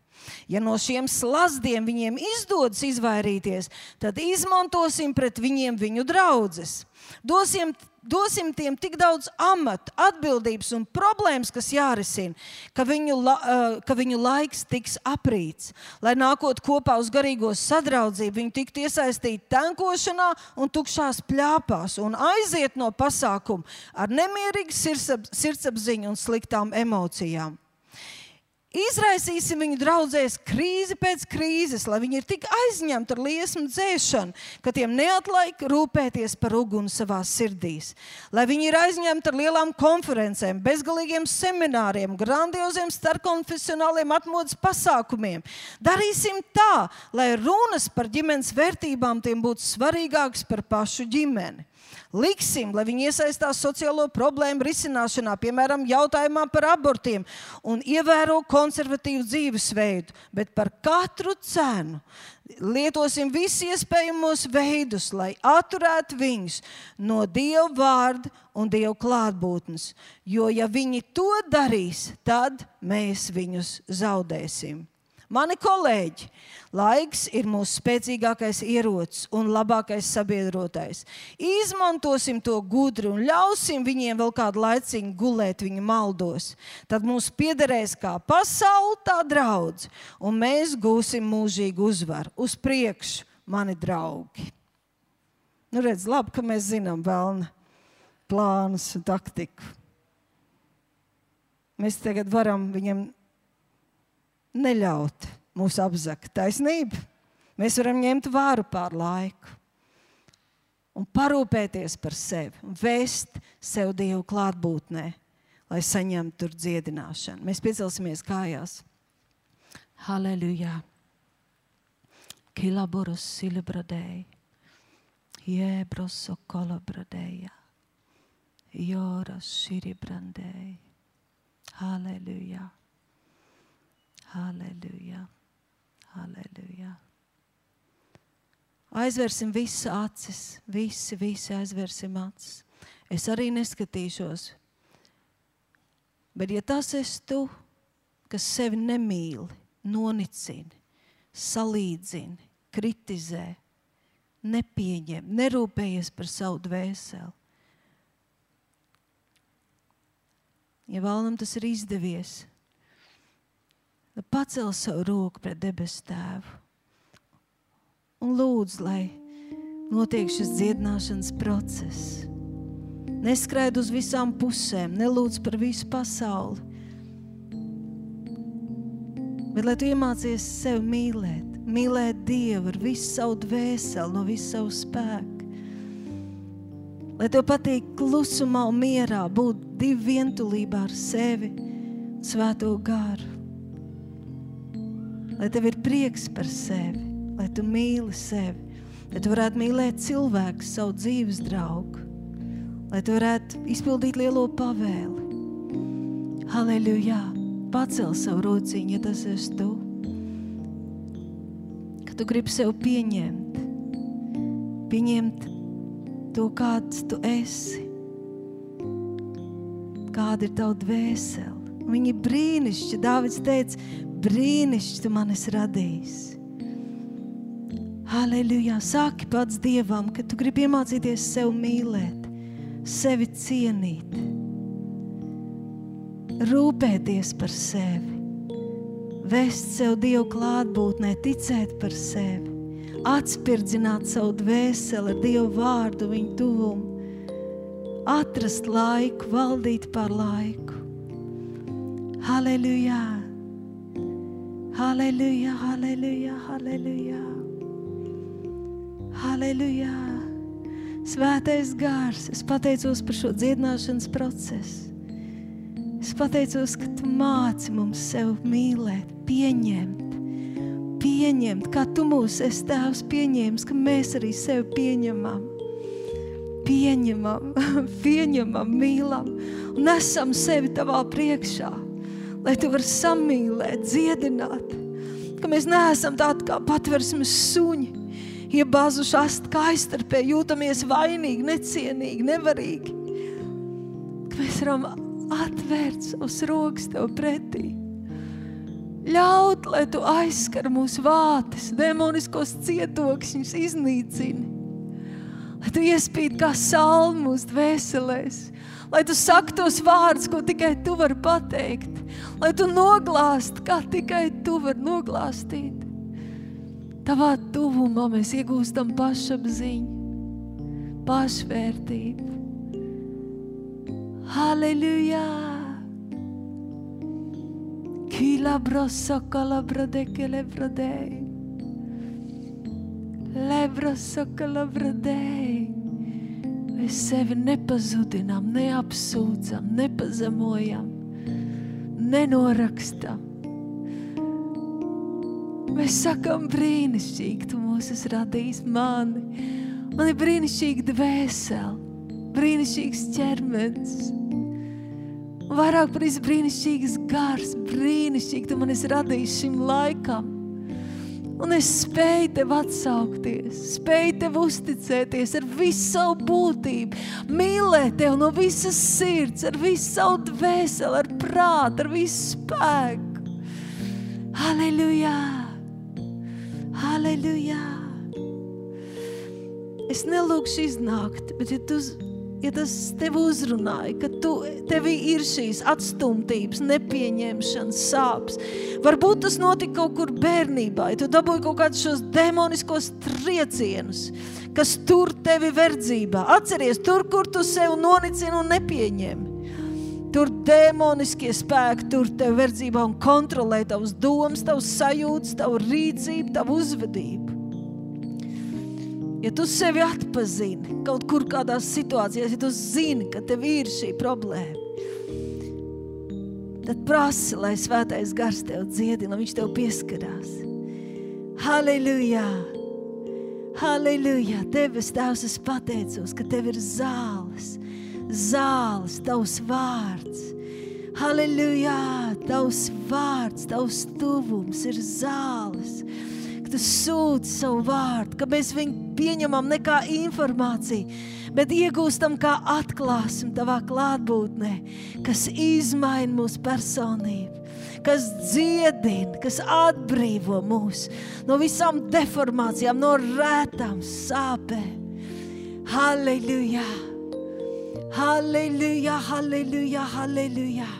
Ja no šiem slazdiem viņiem izdodas izvairīties, tad izmantosim pret viņiem viņu draudzes. Dosim, dosim tiem tik daudz amatu, atbildības un problēmas, kas jārisina, ka viņu, la, ka viņu laiks tiks aprīts. Lai nākot kopā uz garīgo sadraudzību, viņi tiktu iesaistīti tankošanā un tukšās pļāpās un aiziet no pasākuma ar nemierīgu sirdsap, sirdsapziņu un sliktām emocijām. Izraisīsim viņu draudzēs krīzi pēc krīzes, lai viņi ir tik aizņemti ar liesmu dzēšanu, ka tiem neatlaik rūpēties par uguni savās sirdīs. Lai viņi ir aizņemti ar lielām konferencēm, bezgalīgiem semināriem, grandioziem starpkonfesionāliem atmodas pasākumiem. Darīsim tā, lai runas par ģimenes vērtībām tiem būtu svarīgākas par pašu ģimeni. Liksim, lai viņi iesaistās sociālo problēmu risināšanā, piemēram, jautājumā par abortiem un ievēro konservatīvu dzīvesveidu, bet par katru cenu lietosim visus iespējamos veidus, lai atturētu viņus no Dieva vārda un Dieva klātbūtnes, jo ja viņi to darīs, tad mēs viņus zaudēsim. Mani kolēģi, laiks ir mūsu spēcīgākais ierocis un labākais sabiedrotais. Izmantosim to gudri un ļausim viņiem vēl kādu laiciņu gulēt viņu maldos. Tad mums piederēs kā pasaule, tā draudze, un mēs gūsim mūžīgu uzvaru. Uz priekšu, mani draugi. Nu redz, labi, ka mēs zinām velna plānus un taktiku. Mēs tagad varam viņam neļaut mūs apzakt. Taisnība. Mēs varam ņemt vāru pār laiku un parūpēties par sevi un vēst sev Dievu klātbūtnē, lai saņemtu tur dziedināšanu. Mēs piecelsimies kājās. Halleluja. Kilaboros silibradei. Jebros okolobradeja. Joras shiribrandei. Halleluja. Halleluja, halleluja. Aizversim visu acis, visi, visi aizversim acis. Es arī neskatīšos. Bet ja tas esi tu, kas sevi nemīli, nonicini, salīdzini, kritizē, nepieņem, nerūpējies par savu dvēseli. Ja vēlam tas ir izdevies, pacel savu roku pret debesu Tēvu un lūdz, lai notiek šis dziedināšanas process. Neskraid uz visām pusēm, nelūdz par visu pasauli, bet lai tu iemācies sevi mīlēt, mīlēt Dievu ar visu savu dvēseli, no visu savu spēku. Lai tev patīk klusumā un mierā būt divi vientulībā ar sevi un Svēto garu. Lai tev ir prieks par sevi, lai tu mīli sevi, lai tu varētu mīlēt cilvēku, savu dzīves draugu, lai tu varētu izpildīt lielo pavēli. Halleluja! Pacel savu rociņu, ja tas esi tu. Ka tu gribi sev pieņemt, pieņemt to, kāds tu esi, kāda ir tavu dvēseli. Viņi ir brīnišķi. Dāvids teica, brīnišķi tu man esi radījis. Halleluja! Saki pats Dievam, ka tu gribi iemācīties sev mīlēt, sevi cienīt, rūpēties par sevi, vest sev Dievu klātbūtnē, ticēt par sevi, atspirdzināt savu dvēseli ar Dievu vārdu, viņu tuvumu, atrast laiku, valdīt par laiku. Halleluja! Halleluja, halleluja, halleluja. Halleluja! Svētais gars, es pateicos par šo dziedināšanas procesu. Es pateicos, ka tu māci mums sev mīlēt, pieņemt, pieņemt, kā tu mūs esi Tēvs pieņēmis, ka mēs arī sevi pieņemam, pieņemam, pieņemam, mīlam un esam sevi tavā priekšā, lai tu vari samīlēt, dziedināt, ka mēs neesam tādi kā patversmes suņi, iebazuši ast kaistarpē, jūtamies vainīgi, necienīgi, nevarīgi, ka mēs varam atvērt savus rokas tev pretī. Ļaut, lai tu aizskar mūsu vātes, demoniskos cietokšņus iznīcini. Lai tu iespīd kā salmu mūsu dvēselēs. Lai tu saki tos vārdus, ko tikai tu vari pateikt. Lai tu noglāst, kā tikai tu vari noglāstīt. Tavā tuvumā mēs iegūstam pašapziņu, pašvērtību. Halleluja! Qui labro socca labro de che lebro dei. Lebro socca labro dei. Mēs sevi nepazudinām, neapsūdzam, nepazemojam, nenorakstam. Mēs sakam, brīnišķīgi tu mūs esi radījis mani. Man ir brīnišķīga dvēsele, brīnišķīgs ķermenis. Un vairāk par visu brīnišķīgas gars, brīnišķīgi tu man esi radījis šim laikam. Un es spēju tev atsaukties, spēju tev uzticēties ar visu savu būtību, mīlēt tev no visas sirds, ar visu savu dvēseli, ar prātu, ar visu spēku. Halleluja! Halleluja! Es nelūkšu iznākt, bet ja tu... Ja tas tev uzrunāja, ka tu, tevī ir šīs atstumtības, nepieņemšanas, sāpes. Varbūt tas notika kaut kur bērnībā, ja tu dabūji kaut kādus šos demoniskos triecienus, kas tur tevi verdzībā. Atceries, tur, kur tu sev nonicini un nepieņemi. Tur demoniskie spēki, tur tevi verdzībā un kontrolē tavus domas, tavus sajūtas, tavu rīdzību, tavu uzvedību. Ja tu sevi atpazini kaut kur kādās situācijās, ja tu zini, ka tev ir šī problēma, tad prasi, lai svētais gars tev dziedina, viņš tev pieskarās. Halleluja! Halleluja! Tevis, Tēvs, es pateicos, ka tev ir zāles, zāles, tavs vārds. Halleluja! Tavs vārds, tavs tuvums ir zāles. Tu sūti savu vārdu, ka mēs viņu pieņemam ne kā informāciju, bet iegūstam kā atklāsmi tavā klātbūtnē, kas izmaina mūsu personību, kas dziedina, kas atbrīvo mūs no visām deformācijām, no rētām sāpēm. Halleluja! Halleluja! Halleluja! Halleluja!